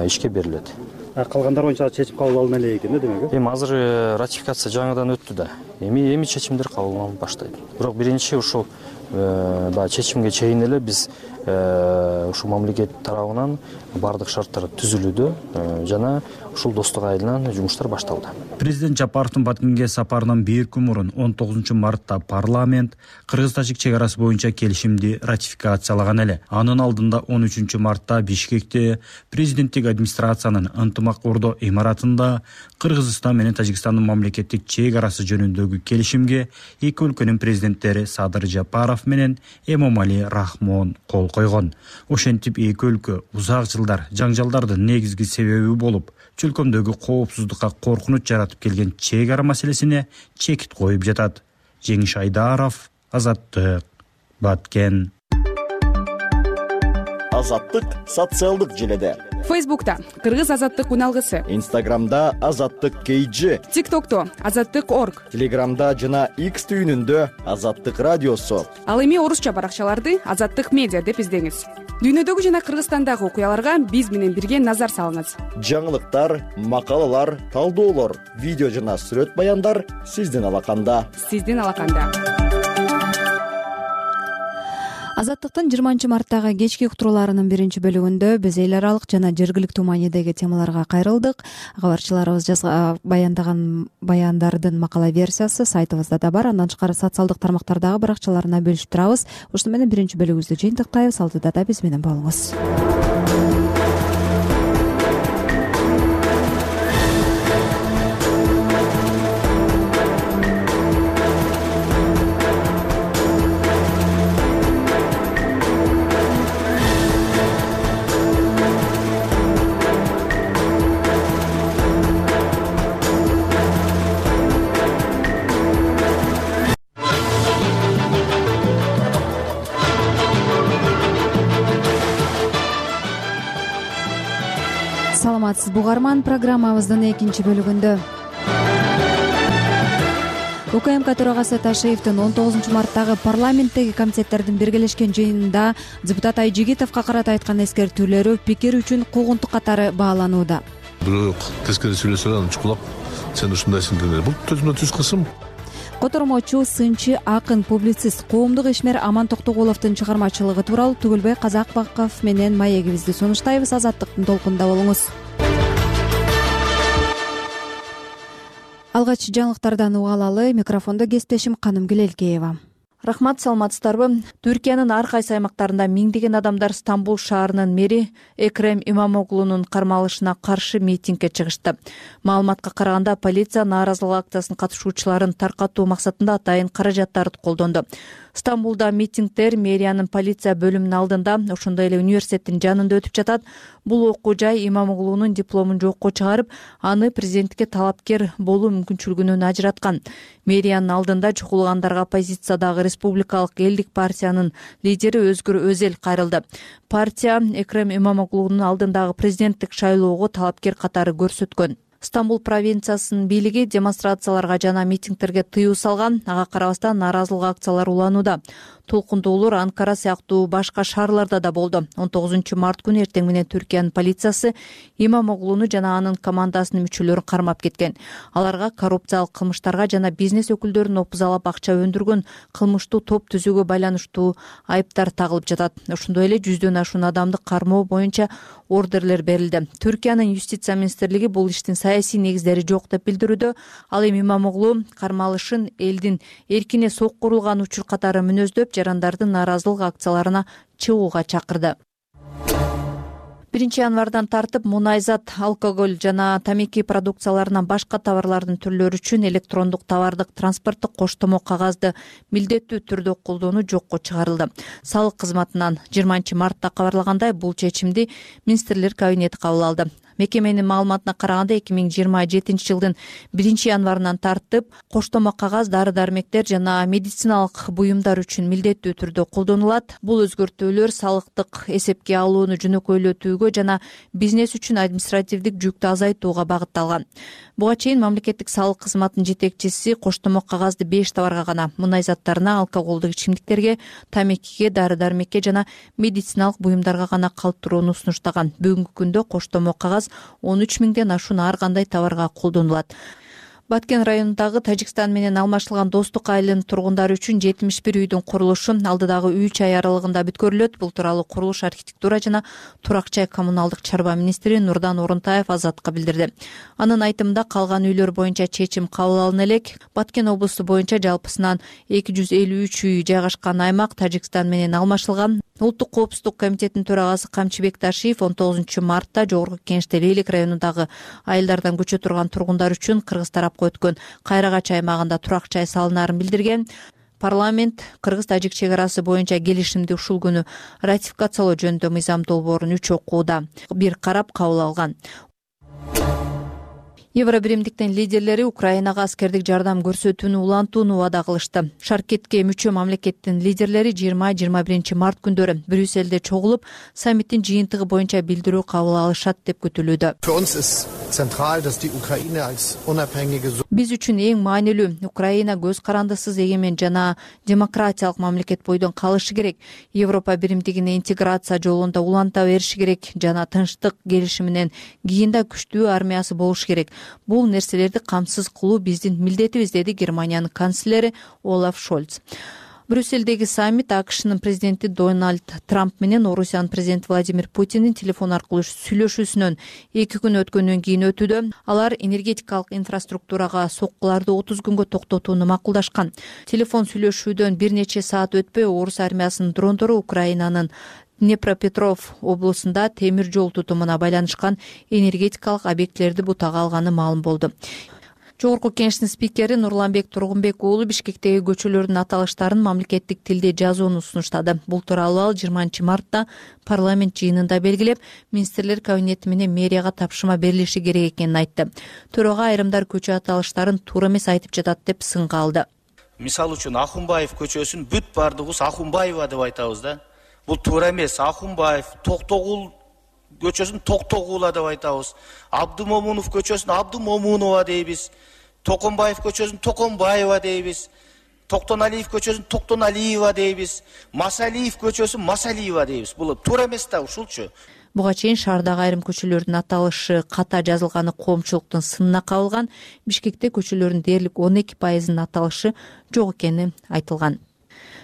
ишке берилет. Калгандар боюнча чечим кабыл алына элек экен, демек. Азыр ратификация жаңыдан өттү да. Эми чечимдер кабыл алынып баштайт. Бирок биринчи ушул чечимге чейин эле биз ушу мамлекет тарабынан бардык шарттар түзүлүүдө жана ушул Достук айылынан жумуштар башталды. Президент Жапаровдун Баткенге сапарынан бир күн мурун 19 мартта парламент кыргыз-тажик чек арасы боюнча келишимди ратификациялаган эле. Анын алдында 13 мартта Бишкекте президенттик администрациянын ынтымак ордо имаратында Кыргызстан менен Тажикстандын мамлекеттик чек арасы жөнүндөгү келишимге эки өлкөнүн президенттери Садыр Жапаров менен Эмомали Рахмон кол койгон. Ошентип эки өлкө узак жылдар жаңжалдардын негизги себеби болуп, чөлкөмдөгү коопсуздукка коркунуч жаратып келген чек ара маселесине чекит коюп жатат. Жеңиш Айдаров, Азаттык, Баткен. Азаттык социалдык желеде. Фейсбукта Кыргыз азаттык уналгысы, Инстаграмда Азаттык KG, ТикТокто Азаттык.org, Телеграмда жана X түйүнүндө Азаттык радиосу. Ал эми орусча баракчаларды Азаттык медиа деп издеңиз. Дүйнөдөгү жана Кыргызстандагы окуяларга биз менен бирге назар салыңыз. Жаңылыктар, макалалар, талдоолор, видео жана сүрөт баяндар сиздин алаканда. Азаттыктын 20-марттагы кечки уктурууларынын биринчи бөлүгүндө биз эл аралык жана жергиликтүү маанидеги темаларга кайрылдык. Кабарчыларыбыз баяндаган баяндардын макала версиясы сайтыбызда да бар. Андан тышкары социалдык тармактардагы баракчаларына бөлүшүп турабыз. Ушуну менен биринчи бөлүгүбүздү жыйынтыктайбыз. Алдыда да биз менен болуңуз. Саламатсызбы угарман, программабыздын экинчи бөлүгүндө УКМК төрагасы Ташиевдин 19-марттагы парламенттеги комитеттердин биргелешкен жыйынында депутат Айжигитовго карата айткан эскертүүлөрү пикир үчүн куугунтук катары бааланууда. Бирок тескери сүйлөсө анан чукулап сен ушундайсың деген. Бул төзмө түз кысым. Котормочу, сынчы, акын, публицист, коомдук ишмер Аман Токтогуловдун чыгармачылыгы тууралуу Түгүлбай Казакбаков менен маегибизди сунуштайбыз. Азаттыктын толкунунда болуңуз. Алгач жаңылыктардан угалалы. Микрофондо кесиптешим Каным Гилелкеева. Рахмат, саламатсыздарбы? Түркиянын ар кайсы аймактарында миңдеген адамдар Стамбул шаарынын мэри Экрем Имамоглунун кармалышына каршы митингге чыгышты. Маалыматка караганда, полиция нааразылык акциясынын катышуучуларын таркатуу максатында атайын каражаттарды колдонду. Стамбулда митингдер мэриянын полиция бөлүмүнүн алдында, ошондой эле университеттин жанында өтүп жатат. Бул окуу жай Имамоглунун дипломун жокко чыгарып, аны президентке талапкер болуу мүмкүнчүлүгүнөн ажыраткан. Мэриянын алдында чукулгандарга оппозициядагы Республикалык элдик партиянын лидери Өзгүр Өзел кайрылды. Партия Экрем Имамоглунун алдындагы президенттик шайлоого талапкер катары көрсөткөн. Стамбул провинциясынын бийлиги демонстрацияларга жана митингдерге тыюу салган. Ага карабастан нааразылык акциялары уланууда. Толкундуулар Анкара сыяктуу башка шаарларда да болду. 19-март күнү эртең менен Түркиянын полициясы Имамоглуну жана анын командасынын мүчөлөрүн кармап кеткен. Аларга коррупциялык кылмыштарга жана бизнес өкүлдөрүн опузалап акча өндүргөн кылмыштуу топ түзүүгө байланыштуу айыптар тагылып жатат. Ошондой эле 100дөн ашуун адамды кармоо боюнча ордерлер берилди. Түркиянын юстиция министрлиги бул иштин саясий негиздери жок деп билдирүүдө. Ал эми Имамоглу кармалышын элдин эркине соккурулган учур катары мүнөздөп, жарандардын нааразылык акцияларына чыгууга чакырды. 1 январдан тартып мунайзат, алкоголь жана тамеки продукцияларынан башка товарлардын түрлөрү үчүн электрондук товардык транспорттук коштомо кагазды милдеттүү түрдө колдонуу жокко чыгарылды. Салык кызматынан 20-мартта кабарлагандай, бул чечимди министрлер кабинети кабыл алды. Мекеменин маалыматына караганда 2027 жылдын 1 январынан тартып коштомо кагаз, дары-дармектер жана медициналык буюмдар үчүн милдеттүү түрдө колдонулат. Бул өзгөртүүлөр салыктык эсепке алууну жөнөкөйлөтүүгө жана бизнес үчүн административдик жүктү азайтууга багытталган. Буга чейин мамлекеттик салык кызматынын жетекчиси коштомо кагазды 5 товарга гана, мунай заттарына, алкоголдук ичимдиктерге, тамекиге, дары-дармекке жана медициналык буюмдарга гана калтырууну сунуштаган. Бүгүнкү күндө коштомо кагаз 13 миңден ашуун ар кандай товарга колдонулат. Баткен районундагы Тажикстан менен алмашылган Достук айылынын тургундары үчүн 71 үйдүн курулушу алдыдагы 3 ай аралыгында бүткөрүлөт. Бул тууралуу курулуш, архитектура жана турак жай коммуналдык чарба министри Нурдан Орунтаев Азатка билдирди. Анын айтымында, калган үйлөр боюнча чечим кабыл алына элек. Баткен облусу боюнча жалпысынан 253 үй жайгашкан аймак Тажикстан менен алмашылган. Улуттук коопсуздук комитетинин төрагасы Камчыбек Ташиев 19-мартта Жогорку Кеңеште Лейлик районундагы айылдардан көчө турган тургундар үчүн Кыргыз тарапка өткөн Кайрагач аймагында турак жай салынаарын билдирген. Парламент кыргыз-тажик чек арасы боюнча келишимди ушул күнү ратификациялоо жөнүндө мыйзам долбоорун 3 окууда бир карап кабыл алган. Евробиримдиктин лидерлери Украинага аскердик жардам көрсөтүүнү улантууну убада кылышты. Шаркетке мүчө мамлекеттин лидерлери 20-21 март күндөрү Брюссельде чогулуп, саммиттин жыйынтыгы боюнча билдирүү кабыл алышат деп күтүлүүдө. Биз үчүн эң маанилүү Украина көз карандысыз эгемен жана демократиялык мамлекет бойдон калышы керек. Европа биримдигине интеграция жолунда уланта бериши керек жана тынчтык келишиминен кийин да күчтүү армиясы болуш керек. Бул нерселерди камсыз кылуу биздин милдетибиз, деди Германиянын канцлери Олаф Шольц. Брюссельдеги саммит АКШнын президенти Дональд Трамп менен Орусиянын президенти Владимир Путиндин телефон аркылуу сүйлөшүүсүнөн 2 күн өткөндөн кийин өтүүдө. Алар энергетикалык инфраструктурага соккуларды 30 күнгө токтотууну макулдашкан. Телефон сүйлөшүүдөн бир нече саат өтпөй орус армиясынын дрондору Украинанын Днепропетров облусунда темир жол тутумуна байланышкан энергетикалык объектилерди бутага алганы маалым болду. Жогорку Кеңештин спикери Нурланбек Тургунбек уулу Бишкектеги көчөлөрдүн аталыштарын мамлекеттик тилде жазууну сунуштады. Бул тууралуу ал 20 мартта парламент жыйынында белгилеп, министрлер кабинети менен мэрияга тапшырма берилиши керек экенин айтты. Төрага айрымдар көчө аталыштарын туура эмес айтып жатат деп сынга алды. Мисалы үчүн Ахунбаев көчөсүн бүт бардыгыбыз Ахунбаева деп айтабыз да. Бул туура эмес. Ахунбаев, Токтогул көчөсүн Токтогула деп айтабыз. Абдумомунов көчөсүн Абдумомунова дейбиз. Токонбаев көчөсүн Токонбаева дейбиз. Токтоналиев көчөсүн Токтоналиева дейбиз. Масалиев көчөсүн Масалиева дейбиз. Бул туура эмес да ушулчу. Буга чейин шаардагы айрым көчөлөрдүн аталышы ката жазылганы коомчулуктун сынына кабылган. Бишкекте көчөлөрдүн дээрлик 12%-ын аталышы жок экени айтылган.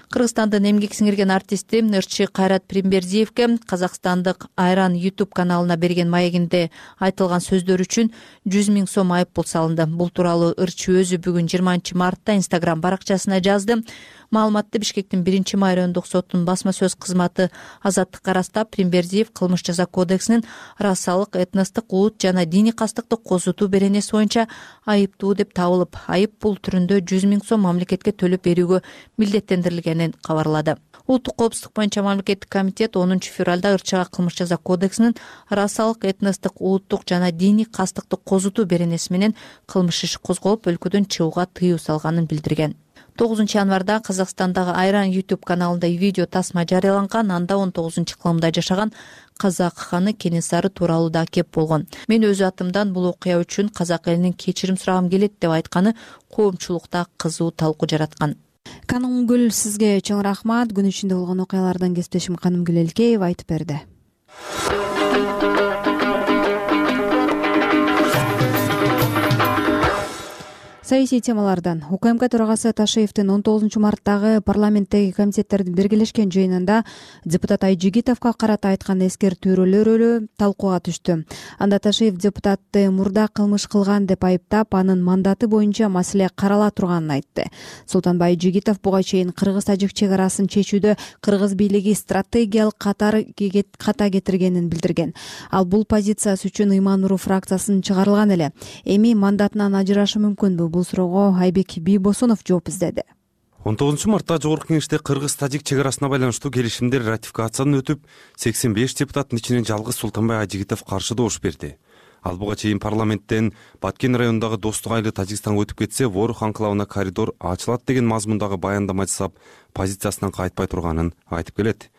Кыргызстандын эмгек сиңирген артисти ырчы Кайрат Примбердиевке Казакстандык Айран YouTube каналына берген маегинде айтылган сөздөр үчүн 100 000 сом айыппул салынды. Бул тууралуу ырчы өзү бүгүн 20 мартта Instagram баракчасына жазды. Маалыматты Бишкектин 1-май райондук соттун басма сөз кызматы азаттыкка ырастап, Примбердиев кылмыш жаза кодексинин расалык, этностук, улут жана диний кастыкты козутуу беренеси боюнча айыптуу деп табылып, айып пул түрүндө 100 000 сом мамлекетке төлөп берүүгө милдеттендирилгенин кабарлады. Улуттук коопсуздук боюнча мамлекеттик комитет 10 февралда ырчыга кылмыш жаза кодексинин расалык, этностук, улуттук жана диний кастыкты козутуу беренеси менен кылмыш иши козголуп, өлкөдөн чыгууга тыюу салганын билдирген. 9 январда Казакстандагы Айран YouTube каналында видео тасма жарыяланган. Анда 19-кылымда жашаган казак ханы Кенесары тууралуу да кеп болгон. Мен өз атымдан бул окуя үчүн казак элинин кечирим сурагым келет деп айтканы коомчулукта кызуу талкуу жараткан. Канымгүл, сизге чоң рахмат. Күн ичинде болгон окуялардан кесиптешим Канымгүл Элкеева айтып берди. Саясий темалардан УКМК төрагасы Ташиевдин 19 марттагы парламенттеги комитеттердин биргелешкен жыйынында депутат Айжигитовго карата айткан эскертүүлөрү талкууга түштү. Анда Ташиев депутатты мурда кылмыш кылган деп айыптап, анын мандаты боюнча маселе карала турганын айтты. Султанбай Айжигитов буга чейин кыргыз-тажик чек арасын чечүүдө кыргыз бийлиги стратегиялык ката кетиргенин билдирген. Ал бул позициясы үчүн Иман-Нуру фракциясынан чыгарылган эле. Эми мандатынан ажырашы мүмкүнбү? Бул суроого Айбек Бийбосунов жооп издеди. 19 мартта Жогорку Кеңеште кыргыз-тажик чек арасына байланыштуу келишимдер ратификациядан өтүп, 85 депутаттын ичинен жалгыз Султанбай Айжигитов каршы добуш берди. Ал буга чейин парламенттен Баткен районундагы Достук айылы Тажикстанга өтүп кетсе, Ворух анклавына коридор ачылат деген мазмундагы баяндама жасап, позициясынан кайтпай турганын айтып келет.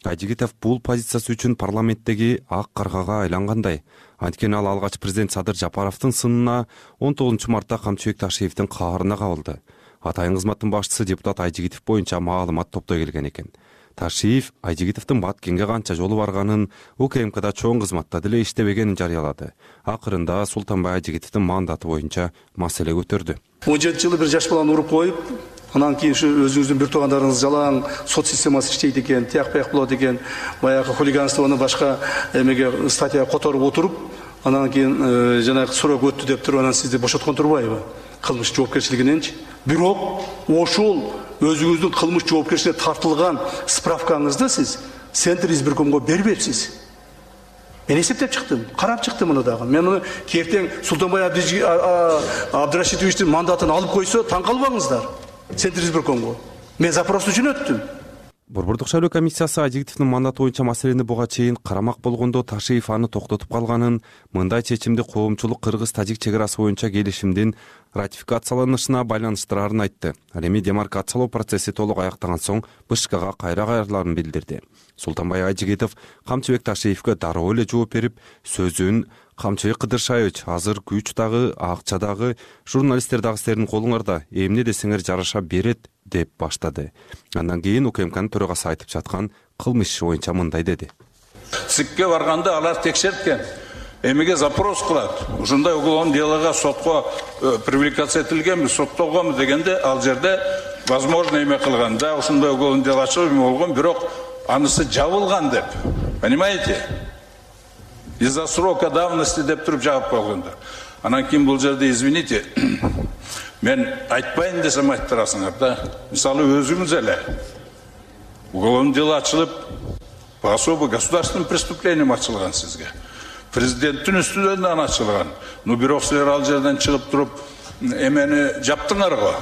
Айжигитов бул позициясы үчүн парламенттеги ак каргага айлангандай. Анткени ал алгач президент Садыр Жапаровдун сынына 19 мартта Камчыбек Ташиевдин каарына кабылды. Атайын кызматтын башчысы депутат Айжигитов боюнча маалымат топтой келген экен. Ташиев Айжигитовдун Баткенге канча жолу барганын, УКМКда чоң кызматта деле иштебегенин жарыялады. Акырында Султанбай Айжигитовдун мандаты боюнча маселе көтөрдү. 17 жылы бир жаш баланы уруп коюп, анан кийин ушу өзүңүздүн бир туугандарыңыз жалаң сот системасы иштейт экен, тияк-паяк болот экен, баягы хулиганствону башка эмеге статья которуп отуруп, анан кийин жанагы срок өттү деп туруп, анан сизди бошоткон турбайбы? Кылмыш жоопкерчилигиненчи. Бирок ошол өзүңүздүн кылмыш жоопкерчилигине тартылган справкаңызды сиз Центр избиркомго бербепсиз. Мен эсептеп чыктым, карап чыктым муну дагы. Мен муну кертең Султанбай Абдрашитовичтин мандатын алып койсо, таң калбаңыздар. Центр избиркомго. Мен запрос үчүн өттүм. Борбордук шайлоо комиссиясы Айжигитовдун мандаты боюнча маселени буга чейин карамак болгондо Ташиев аны токтотуп калганын, мындай чечимди коомчулук кыргыз-тажик чек арасы боюнча келишимдин ратификацияланышына байланыштырарын айтты. Ал эми демаркациялоо процесси толук аяктаган соң БШКга кайра кайрыларын билдирди. Султанбай Айжигитов Камчыбек Ташиевге дароо эле жооп берип, сөзүн Камчыбек Кыдыршаевич, азыр күч дагы, акча дагы, журналисттер дагы силердин колуңарда, эмне десеңер жараша берет деп баштады. Андан кийин УКМКнын төрагасы айтып жаткан кылмыш иши боюнча мындай деди. ЦИКке барганда алар текшерткен. эмеге запрос кылат. Ушундай уголовный делого сотко привлекация этилгенби, соттолгонбу дегенде ал жерде возможно эме кылган. Да, ушундай уголовный дело ачылып эме болгон, бирок анысы жабылган деп. Понимаете? Из-за срока давности деп туруп жаап койгондор. Анан кийин бул жерде, извините, мен айтпайын десем айтып турасыңар да. Мисалы өзүңүз эле уголовный дело ачылып, по особо государственным преступлениям ачылган сизге. Президенттин үстүнөн ачылган. Ну бирок силер ал жерден чыгып туруп эмени жаптыңар го.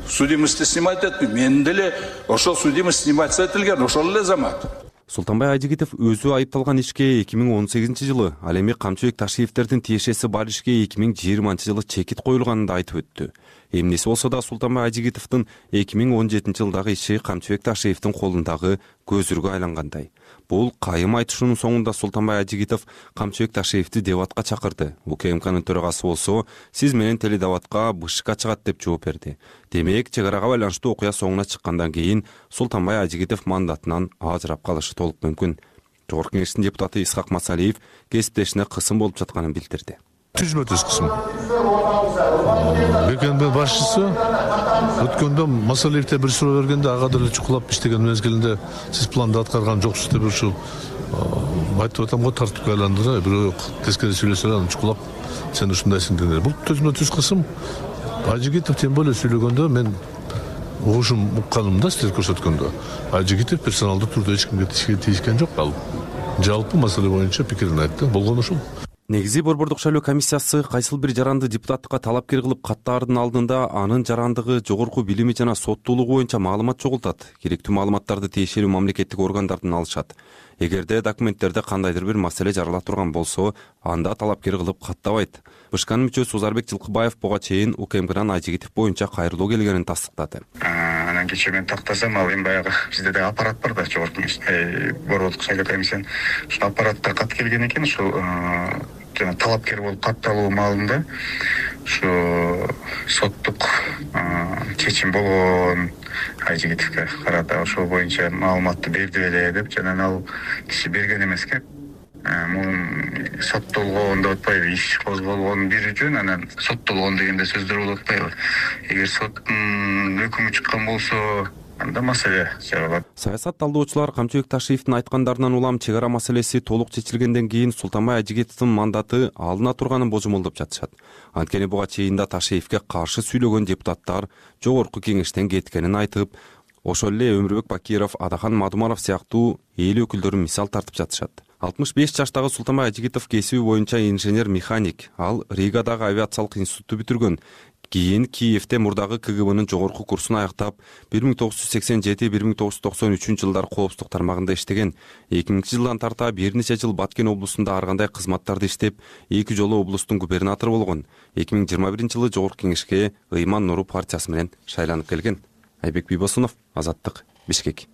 Судимости снимать этти. Мен деле ошол судимость снимать этилген, ошол эле замат. Султанбай Ажигитов өзү айыпталган ишке 2018-жылы, ал эми Камчыбек Ташиевтердин тиешеси бар ишке 2020-жылы чекит коюлганын да айтып өттү. Эмнеси болсо да Султанбай Ажигитовдун 2017-жылдагы иши Камчыбек Ташиевдин колундагы көзүргө айлангандай. Бул кайым айтышуунун соңунда Султанбай Ажигитов Камчыбек Ташиевди дебатка чакырды. УКМКнын төрагасы болсо, сиз менен теледебатка БШК чыгат деп жооп берди. Демек, чек арага байланыштуу окуя соңуна чыккандан кийин Султанбай Ажигитов мандатынан ажырап калышы толук мүмкүн. Жогорку Кеңештин депутаты Исхак Масалиев кесиптешине кысым болуп жатканын билдирди. Түзмө-түз кысым. БКНБ башчысы өткөндө Масалиевте бир суроо бергенде ага деле чукулап иштеген мезгилинде сиз планды аткарган жоксуз деп ушул айтып атам го, тартипке айландыра, бирок тескери сүйлөсө анан чукулап сен ушундайсың дегендер. Бул түзмө-түз кысым. Ажигитов тем более сүйлөгөндө мен ошум укканымда силер көрсөткөндө Ажигитов персоналдуу турда эч кимге тийишкен жок. Ал жалпы маселе боюнча пикирин айтты. Болгон ушул. Негизи Борбордук шайлоо комиссиясы кайсыл бир жаранды депутаттыкка талапкер кылып каттаардын алдында анын жарандыгы, жогорку билими жана соттуулугу боюнча маалымат чогултат. Керектүү маалыматтарды тиешелүү мамлекеттик органдардан алышат. Эгерде документтерде кандайдыр бир маселе жарала турган болсо, анда талапкер кылып каттабайт. БШКнын мүчөсү Узарбек Жылкыбаев буга чейин УКМКнын Ажигитов боюнча кайрылуу келгенин тастыктады. Анан кечээ мен тактасам, ал эми баягы бизде да аппарат бар да, жогорку Борбордук шайлоо комиссиянын ушул аппаратка кат келген экен, ушул жана талапкер болуп катталуу маалында ушу соттук чечим болгон Ажигитовго карата ошол боюнча маалыматты берди эле деп, жана ал киши берген эмеске. Мун соттолгон деп атпайбы, иш козголгон бир жөн, анан соттолгон дегенде сөздөр болуп атпайбы. Эгер соттун өкүмү чыккан болсо, анда маселе жаралат. Саясат талдоочулар Камчыбек Ташиевдин айткандарынан улам чек ара маселеси толук чечилгенден кийин Султанбай Ажигитовдун мандаты алына турганын божомолдоп жатышат. Анткени буга чейин да Ташиевге каршы сүйлөгөн депутаттар жогорку кеңештен кеткенин айтып, ошол эле Өмүрбек Бакиров, Адахан Мадумаров сыяктуу эл өкүлдөрү мисал тартып жатышат. 65 жаштагы Султанбай Ажигитов кесиби боюнча инженер-механик. Ал Ригадагы авиациялык институтту бүтүргөн. Кийин Киевде мурдагы КГБнын жогорку курсун аяктап, 1987-1993 жылдар коопсуздук тармагында иштеген. 2000-жылдан тарта бир нече жыл Баткен облусунда ар кандай кызматтарды иштеп, 2 жолу облустун губернатору болгон. 2021-жылы Жогорку Кеңешке Ыйман Нуру партиясы менен шайланып келген. Айбек Бийбосунов, Азаттык, Бишкек.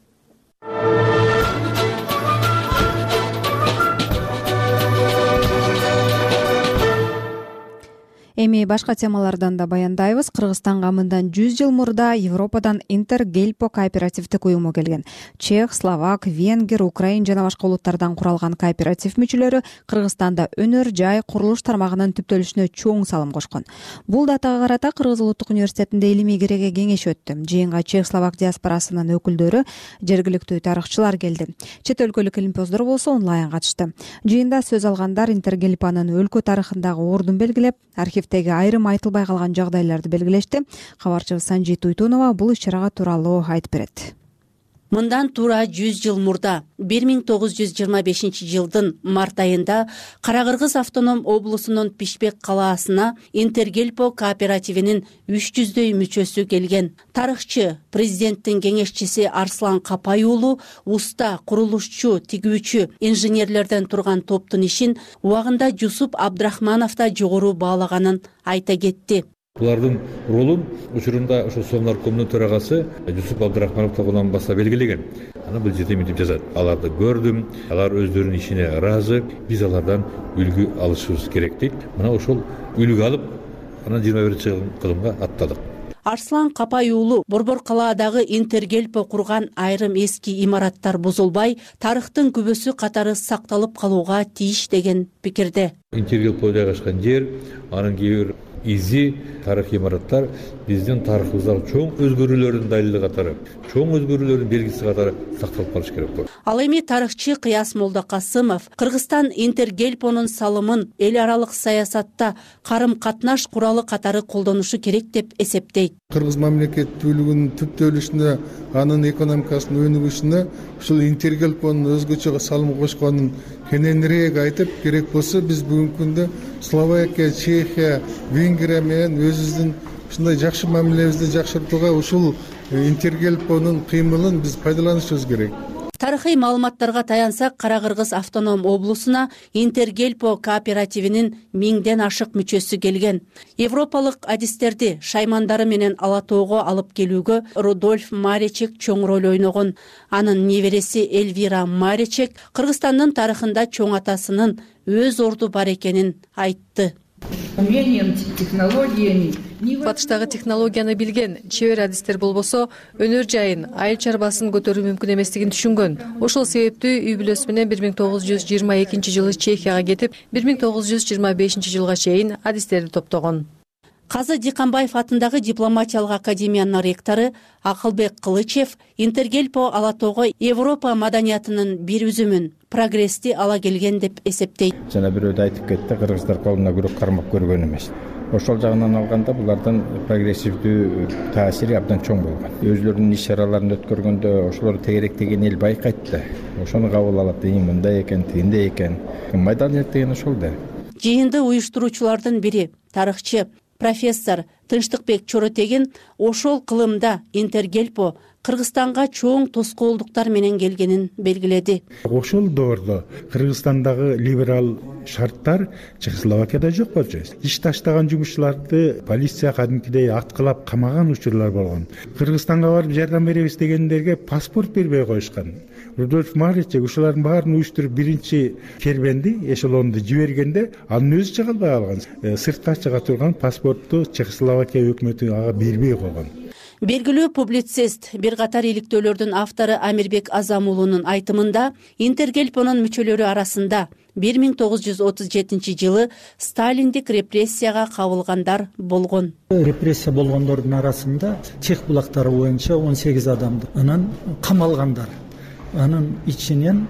Эми башка темалардан да баяндайбыз. Кыргызстанга мындан 100 жыл мурда Европадан Интергельпо кооперативдик уюму келген. Чех, словак, венгер, украин жана башка улуттардан куралган кооператив мүчөлөрү Кыргызстанда өнөр, жай, курулуш тармагынын түптөлүшүнө чоң салым кошкон. Бул датага карата Кыргыз улуттук университетинде илимий кереге кеңеш өттү. Жыйынга чех, словак диаспорасынын өкүлдөрү, жергиликтүү тарыхчылар келди. Чет өлкөлүк илимпоздор болсо онлайн катышты. Жыйында сөз алгандар Интергельпонун өлкө тарыхындагы ордун белгилеп, архивдеги айрым айтылбай калган жагдайларды белгилешти. Кабарчыбыз Санжи Туйтунова бул иш-чарага тууралуу айтып берет. Мындан туура 100 жыл мурда 1925-жылдын март айында Кара-Кыргыз автоном облусунун Пишпек калаасына Интергельпо кооперативинин 300дөй мүчөсү келген. Тарыхчы, президенттин кеңешчиси Арслан Капай уулу уста курулушчу, тигүүчү, инженерлерден турган топтун ишин убагында Жусуп Абдрахманов да жогору баалаганын айта кетти. Булардын ролун учурунда ошо Совнаркомдун төрагасы Жусуп Абдрахманов тогунан баса белгилеген. Аны бул жерде мынтип жазат. Аларды көрдүм, алар өздөрүнүн ишине ыраазы, биз алардан үлгү алышыбыз керек дейт. Мына ошол үлгү алып, анан 21-кылымга аттадык. Арслан Капай уулу Борбор калаадагы Интергельпо курган айрым эски имараттар бузулбай, тарыхтын күбөсү катары сакталып калууга тийиш деген пикирде. Интергельпо жайгашкан жер, анын кээ бир изи тарыхый имараттар биздин тарыхыбыздагы чоң өзгөрүүлөрдүн далили катары, чоң өзгөрүүлөрдүн белгиси катары сакталып калыш керек болот. Ал эми тарыхчы Кыяс Молдокасымов Кыргызстан Интергельпонун салымын эл аралык саясатта карым-катнаш куралы катары колдонушу керек деп эсептейт. Кыргыз мамлекеттүүлүгүнүн түптөлүшүнө, анын экономикасынын өнүгүшүнө ушул Интергельпонун өзгөчө салым кошконун кененирээк айтып, керек болсо биз бүгүнкү күндө Словакия, Чехия, Венгрия менен өзүбүздүн ушундай жакшы мамилебизди жакшыртууга ушул Интергельпонун кыймылын биз пайдаланышыбыз керек. Тарыхый маалыматтарга таянсак, Кара Кыргыз автоном облусуна Интергельпо кооперативинин 1000ден ашык мүчөсү келген. Европалык адистерди шаймандары менен ала тоого алып келүүгө Рудольф Маречек чоң роль ойногон. Анын небереси Эльвира Маречек Кыргызстандын тарыхында чоң атасынын өз орду бар экенин айтты. Батыштагы технологияны билген, чебер адистер болбосо, өнөр жайын, айыл чарбасын көтөрүү мүмкүн эместигин түшүнгөн. Ошол себептүү үй бүлөсү менен 1922-жылы Чехияга кетип, 1925-жылга чейин адистерди топтогон. Казы Диканбаев атындагы дипломатиялык академиянын ректору Акылбек Кылычев Интергельпо ала тоого Европа маданиятынын бир үзүмүн, прогрессти ала келген деп эсептейт. Жана бирөөдө айтып кетти, кыргыздар колуна күрөк кармап көргөн эмес. Ошол жагынан алганда булардын прогрессивдүү таасири абдан чоң болгон. Өзлөрүнүн иш чараларын өткөргөндө ошолор тегеректеген эл байкайт да. Ошону кабыл алат, мындай экен, тигиндей экен. Маданият деген ошол да. Жыйынды уюштуруучулардын бири, тарыхчы профессор Тынчтыкбек Чоротегин ошол кылымда Интергельпо Кыргызстанга чоң тоскоолдуктар менен келгенин белгиледи. Ошол доордо Кыргызстандагы либерал шарттар Чехословакияда жок болчу. Иш таштаган жумушчуларды полиция кадимкидей аткылап камаган учурлар болгон. Кыргызстанга барып жардам беребиз дегендерге паспорт бербей коюшкан. Рудольф Маречек ушулардын баарын уюштуруп биринчи кербенди, эшелонду жибергенде анын өзү чыга албай калган. Сыртка чыга турган паспортту Чехословакия өкмөтү ага бербей койгон. Белгилүү публицист, бир катар иликтөөлөрдүн автору Амирбек Азамуулунун айтымында Интергельпонун мүчөлөрү арасында 1937-жылы сталиндик репрессияга кабылгандар болгон. Репрессия болгондордун арасында Чех булактары боюнча 18 адамды, анан камалгандар. Анын ичинен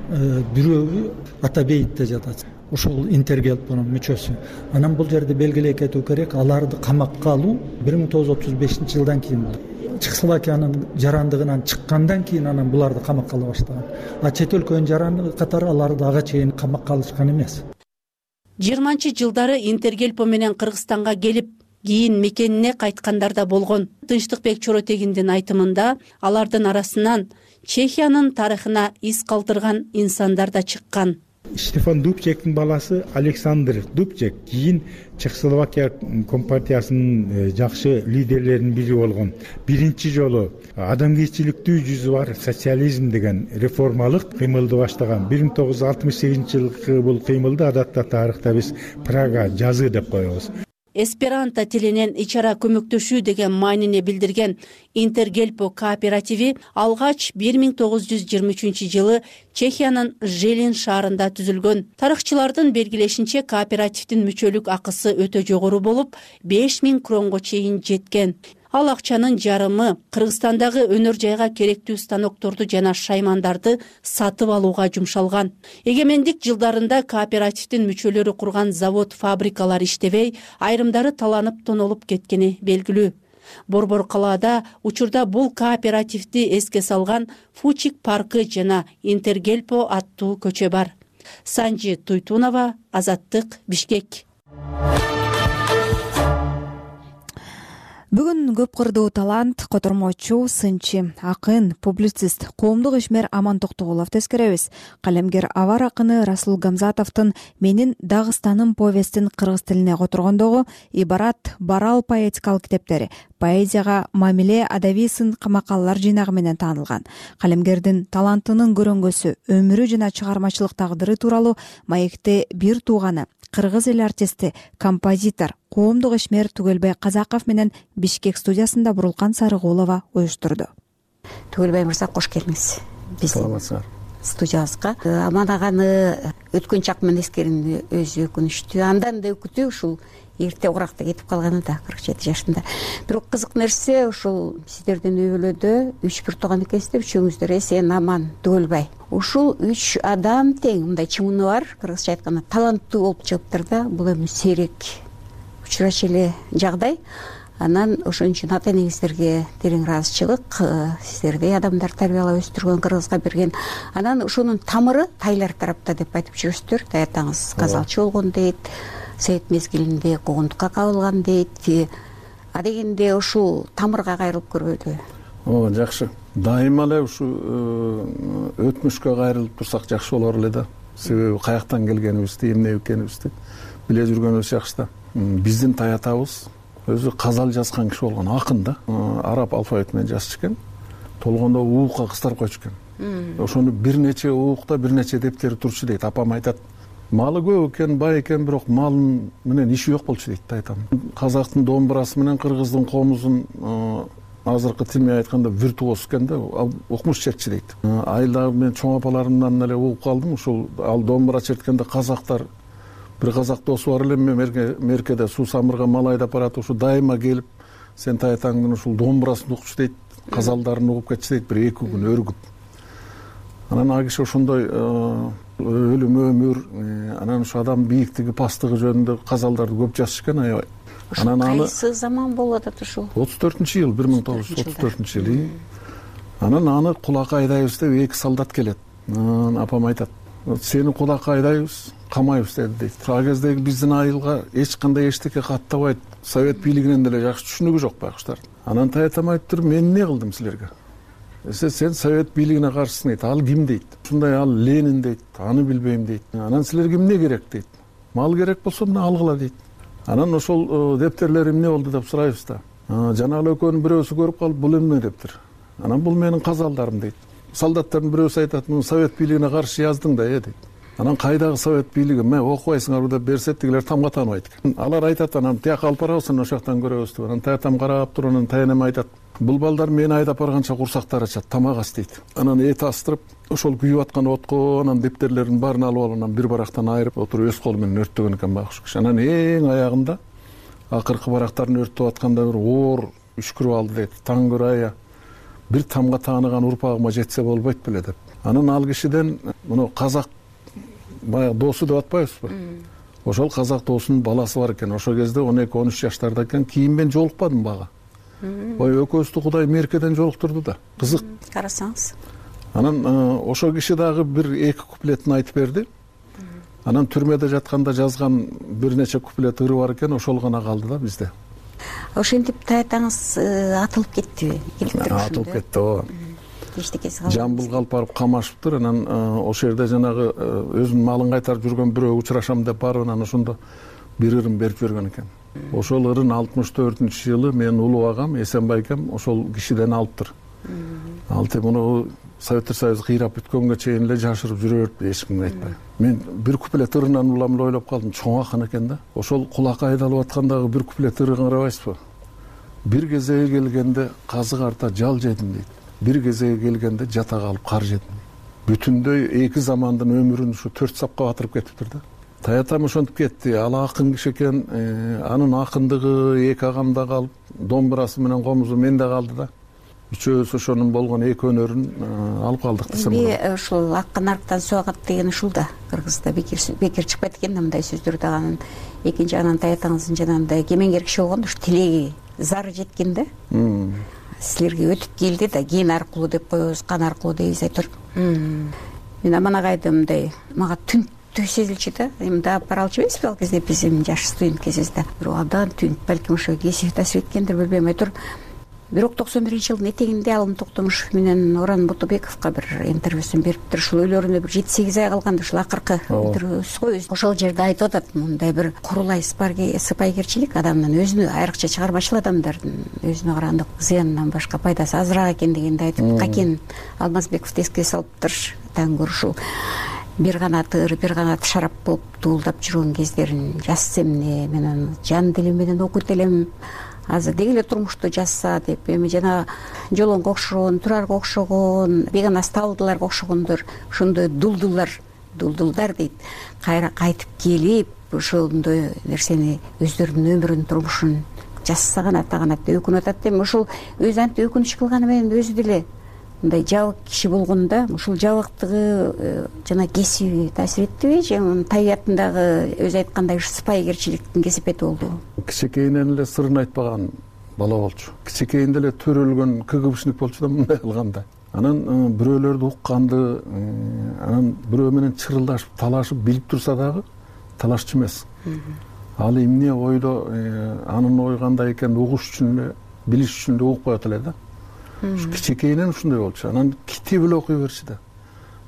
бирөө Атабейтте жатат. Ошол Интергельпонун мүчөсү. Анан бул жерде белгилей кетүү керек, аларды камакка алуу 1935-жылдан кийин болду. Чехословакиянын жарандыгынан чыккандан кийин анан буларды камакка ала баштаган. А чет өлкөнүн жарандыгы катары аларды ага чейин камакка алышкан эмес. 20-жылдары Интергельпо менен Кыргызстанга келип, кийин мекенине кайткандар да болгон. Тынчтыкбек Чоротегиндин айтымында алардын арасынан Чехиянын тарыхына из калтырган инсандар да чыккан. Штефан Дубчектин баласы Александр Дубчек кийин Чехословакия компартиясынын жакшы лидерлеринин бири болгон. Биринчи жолу адамгерчиликтүү жүзү бар социализм деген реформалык кыймылды баштаган. 1968-жылкы бул кыймылды адатта тарыхта биз Прага жазы деп коебуз. Эсперанто тилинен ичара көмөктөшүү деген маанине билдирген Интергельпо кооперативи алгач 1923-жылы Чехиянын Желин шаарында түзүлгөн. Тарыхчылардын белгилешинче кооперативдин мүчөлүк акысы өтө жогору болуп, 5000 кронго чейин жеткен. Ал акчанын жарымы Кыргызстандагы өнөр жайга керектүү станокторду жана шаймандарды сатып алууга жумшалган. Эгемендик жылдарында кооперативдин мүчөлөрү курган завод, фабрикалар иштебей, айрымдары таланып тонолуп кеткени белгилүү. Борбор калаада учурда бул кооперативди эске салган Фучик паркы жана Интергельпо аттуу көчө бар. Санжи Туйтунова, Азаттык, Бишкек. Бүгүн көп кырдуу талант, котормочу, сынчы, акын, публицист, коомдук ишмер Аман Токтогулов тескеребиз. Калемгер авар акыны Расул Гамзатовдун «Менин Дагыстаным» повестин кыргыз тилине которгондогу ибарат барал поэтикалык китептери, поэзияга мамиле адабий сын макалалар жыйнагы менен таанылган. Калемгердин талантынын көрөнгөсү, өмүрү жана чыгармачылык тагдыры тууралуу маекте бир тууганы, кыргыз эл артисти, композитор, коомдук ишмер Түгөлбай Казаков менен Бишкек студиясында Бурулкан Сарыгулова уюштурду. Түгөлбай мырза, кош келиңиз биздин студиябызга. Аман аганы өткөн чак менен эскеринди өзү өкүнүчтүү, андан да өкүтүү ушул эрте уракта кетип калганы да 47 жашында. Бирок кызык нерсе ушул сиздердин үй бүлөдө 3 тууган экенсиздер, үчөөңүздөр эсен аман Түгөлбай. Ушул 3 адам тең мындай чымыны бар, кыргызча айтканда таланттуу болуп чыгыптыр да. Бул эми сейрек учурачу эле жагдай. Анан ошон үчүн ата энеңиздерге терең ыраазычылык, сиздердей адамдар тарбиялап өстүргөн, кыргызга берген. Анан ошонун тамыры тайлар тарапта деп айтып жүрөсүздөр. Таятаңыз казалчы болгон дейт, совет мезгилинде куугунтукка кабылган дейт. Адегенде ушул тамырга кайрылып көрбөйдү. Жакшы. Дайыма эле ушу өтмүшкө кайрылып турсак жакшы болор эле да. Себеби каяктан келгенибизди, эмне экенибизди биле жүргөнүбүз жакшы да. Биздин таятабыз өзү казал жазган киши болгон, акын да. Араб алфавит менен жазчу экен. Толгондо уукка кыстырып койчу экен. Ошону бир нече уукта бир нече дептери турчу дейт. Апам айтат. Малы көп экен, бай экен, бирок малын менен иши жок болчу дейт таятам. Казактын домбурасы менен кыргыздын комузун азыркы тил менен айтканда виртуоз экен да, укмуш чертчү дейт. Айылдагы мен чоң апаларымдан эле угуп калдым. Ушул ал домбура черткенде казактар, бир казак досу бар эле, меркеде суу самырга мал айдап барат, ушу дайыма келип, сен таятаңдын ушул домбурасын укчу дейт, казалдарын угуп кетчү дейт, бир 2 күн өргүп. Анан ал киши ошондой өлүм өмүр, анан ушу адам бийиктиги, пастыгы жөнүндө казалдарды көп жазчу экен, аябай. Анан кайсы заман болуп атат ушул? 34-жыл, 1934-жыл. Анан аны кулакка айдайбыз деп 2 солдат келет. Апам айтат, сени кулакка айдайбыз, камайбыз дейт. Ал кездеги биздин айылга эч кандай эчтеке каттабайт, совет бийлигинен деле жакшы түшүнүгү жок байкуштар. Анан таятам айтыптыр, мен эмне кылдым силерге? Сен совет бийлигине каршысың дейт. Ал ким дейт? Ушундай ал Ленин дейт. Аны билбейм дейт. Анан силерге эмне керек дейт. Мал керек болсо мына алгыла дейт. Анан ошол дептерлер эмне болду деп сурайбыз да. Жана эле экөөнүн бирөөсү көрүп калып, бул эмне дептир? Анан бул менин казалдарым дейт. Солдаттардын бирөөсү айтат, муну совет бийлигине каршы яздың да, дейт. Анан кайдагы совет бийлиги, мен окубайсыңарбы деп берсе, тигилер тамга тааныбайт экен. Алар айтат, анан тияка алып барабыз, ошол жактан көрөбүз деп. Анан таятам карап туруп, анан таянем айтат, бул балдар мени айдап барганча курсактары ачат, тамак ас дейт. Анан эт астырып, ошол күйүп аткан отко анан дептерлердин баарын алып алып, анан бир барактан айырып отуруп өз колу менен өрттөгөн экен байкуш киши. Анан эң аягында акыркы барактарын өрттөп атканда бир оор үшкүрүп алды дейт. Таң көрая бир тамга тааныган урпагыма жетсе болбойт беле деп. Анан ал кишиден муну казак баягы досу деп атпайбызбы? Ошол казак досунун баласы бар экен. Ошол кезде 12-13 жаштарда экен. Кийин мен жолукпадым бага. Ой, экөөбүздү Кудай меркеден жолуктурду да. Кызык. Карасаңыз. Анан ошол киши дагы бир 2 куплетин айтып берди. Анан түрмөдө жатканда жазган бир нече куплет ыры бар экен, ошол гана калды да бизде. Ошентип таятаңыз атылып кеттиби? Атылып кетти, ооба. Эчтекеси калбады. Жамбыл калып барып камашыптыр. Анан ошол жерде жанагы өзүнүн малын кайтарып жүргөн бирөө учурашам деп барып, анан ошондо бир ырын берип жиберген экен. Ошол ырын 64-жылы менин улуу агам Эсенбай экем ошол кишиден алыптыр. Алты муну Советтер Союзу кыйрап бүткөнгө чейин эле жашырып жүрө берип, эч кимге айтпай. Мен бир куплет ырынан улам эле ойлоп калдым, чоң акын экен да. Ошол кулакка айдалып аткандагы бир куплет ырын карабайсызбы? Бир кезеге келгенде казык арта жал жедим дейт. Бир кезеге келгенде жата калып кар жедим. Бүтүндөй 2 замандын өмүрүн ушу 4 сапка батырып кетиптир да. Таятам ошентип кетти. Ал акын киши экен, анын акындыгы 2 агамда калып, домбурасы менен комузу менде калды да. Үчөөбүз ошонун болгон 2 өнөрүн алып калдык десем болот. Ушул аккан арктан суу агат деген ушул да. Кыргызда бекер чыкпайт экен да мындай сөздөр да. Анан экинчи анан таятаңыздын жанагындай кемеңгер киши болгон, ушу тилеги зары жеткен да. Силерге өтүп келди да, ген аркылуу деп коебуз, кан аркылуу дейбиз айтор. Мен аман агайды мындай мага түнктүү сезилчү да. Мында алып бара алчу эмеспи ал кезде биздин жаш студент кезибизде. Бирок абдан түнк, балким ошо кесип таасир эткендир, билбейм айтор. Бирок 91-жылдын этегинде Алым Токтомушев менен Орон Ботобековго бир интервьюсун бериптир. Ушул үйлөрүнө бир 7-8 ай калганда ушул акыркы интервьюсу го ошол жерде айтып атат, мындай бир курулай сыпайгерчилик адамдын өзүнө, айрыкча чыгармачыл адамдардын өзүнө караганда зыянынан башка пайдасы азыраак экен дегенди айтып, Какен Алмазбековду эске салыптыр. Таң көрүшү. бир канат ыр бир канат шарап болуп дуулдап жүргөн кездерин жазса эмне, мен аны жан дилим менен окуйт элем, азыр деги эле турмушту жазса деп. Эми жана Жолонго окшогон, Турарга окшогон, бейгана Сталдыларга окшогондор ошондой дулдулдар дейт, кайра кайтып келип ошондой нерсени өздөрүнүн өмүрүн, турмушун жазса гана деп өкүнүп атат. Эми ошол өзү антип өкүнүч кылганы менен өзү деле мындай жабык киши болгондо ушул жабыктыгы жана кесиби таасир эттиби же табиятындагы өзү айткандай сыпайыгерчиликтин кесепети болдубу? Кичинекейинен эле сырын айтпаган бала болчу, кичинекейинде эле төрөлгөн КГБшник болчу да мындай кылганда. Анан бирөөлөрдү укканды, анан бирөө менен чырылдашып, талашып билип турса дагы талашчу эмес. Ал эмне ойдо, анын ою кандай экенин угуш үчүн эле, билиш үчүн эле угуп коет эле да. Кичинекейинен ушундай болчу. Анан китеп эле окуй берчү да.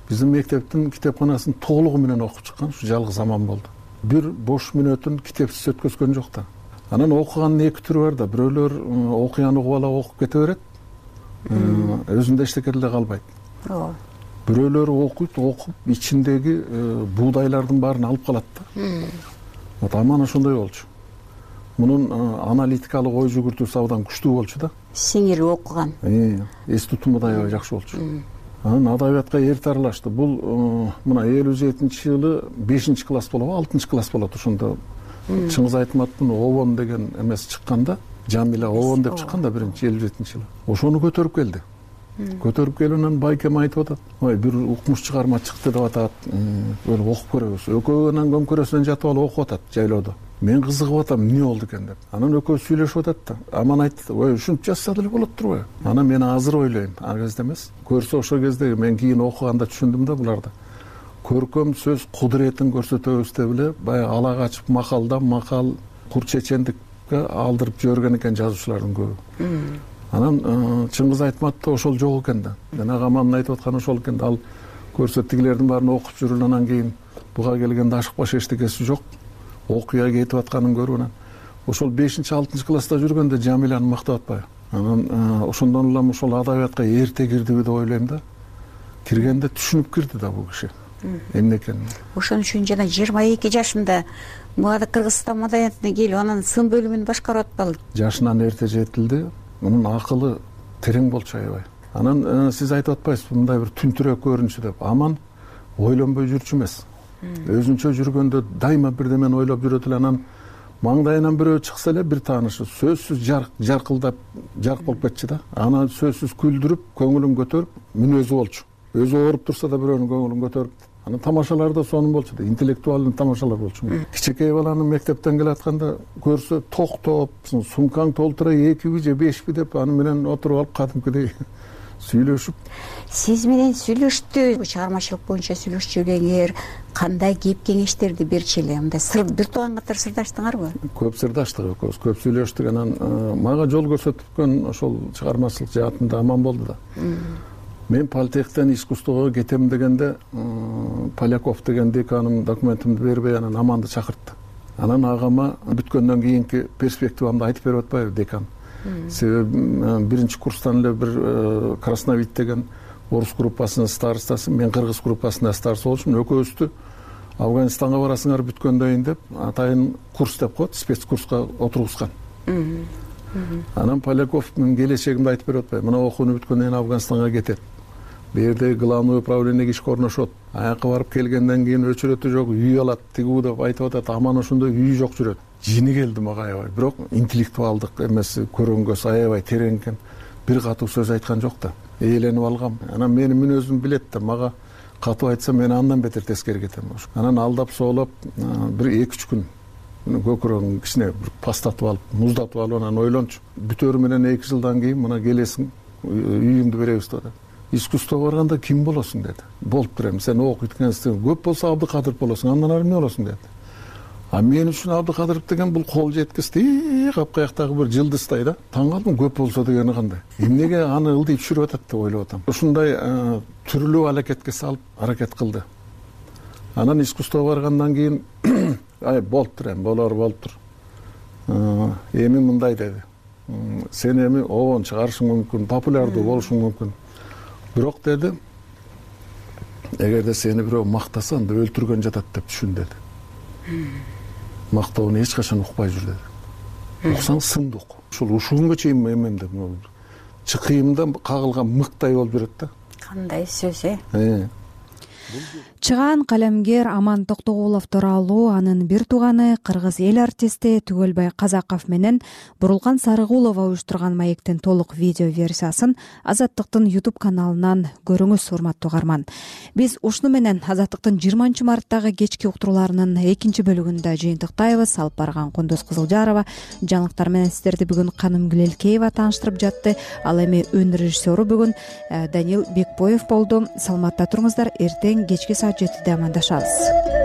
Биздин мектептин китепканасын толугу менен окуп чыккан ушу жалгыз аман болду. Бир бош мүнөтүн китепсиз өткөзгөн жок да. Анан окугандын эки түрү бар да. Бирөөлөр окуяны угуп ала окуп кете берет, өзүндө эчтеке деле калбайт. Ооба. Бирөөлөр окуйт, окуп ичиндеги буудайлардын баарын алып калат да. Вот аман ошондой болчу. Мунун аналитикалык ой жүгүртүүсү абдан күчтүү болчу да. Сиңири окуган. Эс тутуму да аябай жакшы болчу. Анан адабиятка эрте аралашты. Бул мына 57-жылы 5-класс болобу, 6-класс болот ошондо. Чыңгыз Айтматтын Обон деген эмеси чыкканда, Жамила Обон деп чыкканда 57-жылы. Ошону көтөрүп келди. Көтөрүп келип анан байкем айтып атат. Ой, бир укмуш чыгарма чыкты деп атат. Өлүп окуп көрөбүз. Экөө анан көмкөрөсүнөн жатып алып окуп атат жайлоодо. Мен кызыгып атам, эмне болду экен деп. Анан экөө сүйлөшүп атат да. Аман айтты, ой, ушинтип жазса деле болот турбайбы? Анан мен азыр ойлойм, ар кезде эмес. Көрсө ошол кезде мен кийин окуганда түшүндүм да буларды. Көркөм сөз кудуретин көрсөтөбүз деп эле баягы ала качып макал кур чечендикке алдырып жиберген экен жазуучулардын көбү. Анан Чыңгыз Айтматта ошол жок экен да. Жанагы амандын айтып атканы ошол экен да. Ал көрсө тигилердин баарын окуп жүрүп анан кийин буга келгенде ашыкпаш эчтекеси жок. Окуя кетип атканын көрүп анан ошол 5-6 класста жүргөндө Жамиланы мактап атпайбы? Анан ошондон улам ошол адабиятка эрте кирдиби деп ойлойм да. Киргенде түшүнүп кирди да бул киши. Эмне экенин. Ошон үчүн жана 22 жашында муга Кыргызстан маданиятына келип анан сын бөлүмүн башкарып атпалды. Жашынан эрте жетилди. Мунун акылы терең болчу аябай. Анан сиз айтып атпайсызбы мындай бир түнтүрөк көрүнчү деп. Аман ойлонбой жүрчү эмес. Өзүнчө жүргөндө дайыма бирдемени ойлоп жүрөт эле. Анан маңдайынан бирөө чыкса эле бир таанышы сөзсүз жаркылдап жарк болуп кетчү да. Аны сөзсүз күлдүрүп, көңүлүн көтөрүп, мүнөзү болчу. Өзү ооруп турса да бирөөнүн көңүлүн көтөрүп. Анан тамашалар да сонун болчу да. Интеллектуалдуу тамашалар болчу. Кичинекей баланы мектептен келатканда көрсө токтоп, сумкаң толтура 2 же 5 деп аны менен отуруп алып кадимкидей сүйлөшүп. Сиз менен сүйлөштү, чыгармачылык боюнча сүйлөшчү элеңер, кандай кеп кеңештерди берчү эле? Мындай сыр бир тууган катары сырдаштыңарбы? Көп сырдаштык экөөбүз, көп сүйлөштүк. Анан мага жол көрсөткөн ошол чыгармачылык жаатында аман болду да. Мен политехтен искусствого кетем дегенде Поляков деген деканым документимди бербей анан Аманды чакыртты. Анан агама бүткөндөн кийинки перспективамды айтып берип атпайбы декан. Себеби биринчи курстан эле бир Красновид деген орус группасынын старостасы, мен кыргыз группасында староста болчумун. Экөөбүздү Афганистанга барасыңар бүткөндөн кийин деп атайын курс деп коет, спецкурска отургузган. Анан Поляков мен келечегимди айтып берип атпайбы? Мына окууну бүткөндөн кийин Афганистанга кетет. Берде главный управлениеге ишке орношот. Аякка барып келгенден кийин өчүрөтү жок, үй алат, тигүү деп айтып атат. Аман ошондой үй жок жүрөт. Жини келди мага аябай. Бирок интеллектуалдык эмеси көрөнгөсү аябай терең экен. Бир катуу сөз айткан жок да. Ээленип алгам. Анан менин мүнөзүм билет да, мага катуу айтса мен андан бетер тескери кетем. Анан алдап соолоп бир 2-3 күн көкүрөгүн кичине бир пастатып алып, муздатып алып анан ойлончу. Бүтөрү менен 2 жылдан кийин мына келесиң, үйүңдү беребиз деп. Искусствого барганда ким болосуң деди. Болуп берем, сен окуйт экенсиң. Көп болсо Абдыкадыров болосуң, андан ары эмне болосуң деди. А мен үчүн Абдыкадыров деген бул кол жеткисти, капкаяктагы бир жылдыздай да. Таң калдым, көп болсо дегени кандай. Эмнеге аны ылдыйып жүрүп атат деп ойлоп атам. Ушундай түрлүү аракетке салып аракет кылды. Анан искусствого баргандан кийин ай болуп тур эми, болор тур. Эми мындай деди. Сен эми обон чыгарышың мүмкүн, популярдуу болушуң мүмкүн. Бирок деди, эгерде сени бирөө мактаса анда өлтүргөн жатат деп түшүн деди. Мактоону эч качан укпай жүр деди. Уксаң сынды ук. Ушул күнгө чейин эмемде чыкыйымда кагылган мыктай болуп жүрөт да. Кандай сөз Чыгаан калемгер Аман Токтогулов тууралуу анын бир тууганы кыргыз эл артисти Түгөлбай Казаков менен Бурулган Сарыгулова уюштурган маектин толук видео версиясын Азаттыктын YouTube каналынан көрүңүз, урматтуу угарман. Биз ушуну менен Азаттыктын 20 марттагы кечки уктурууларынын 2-бөлүгүндө жыйынтыктайбыз. Алып барган Кундуз Кызылжарова, жаңылыктар менен сиздерди бүгүн Каным Гүлелкеева тааныштырып жатты. Ал эми өн режиссеру бүгүн Данил Бекбоев болду. Саламатта туруңуздар. Эртең кечки саат 7-де амандашабыз.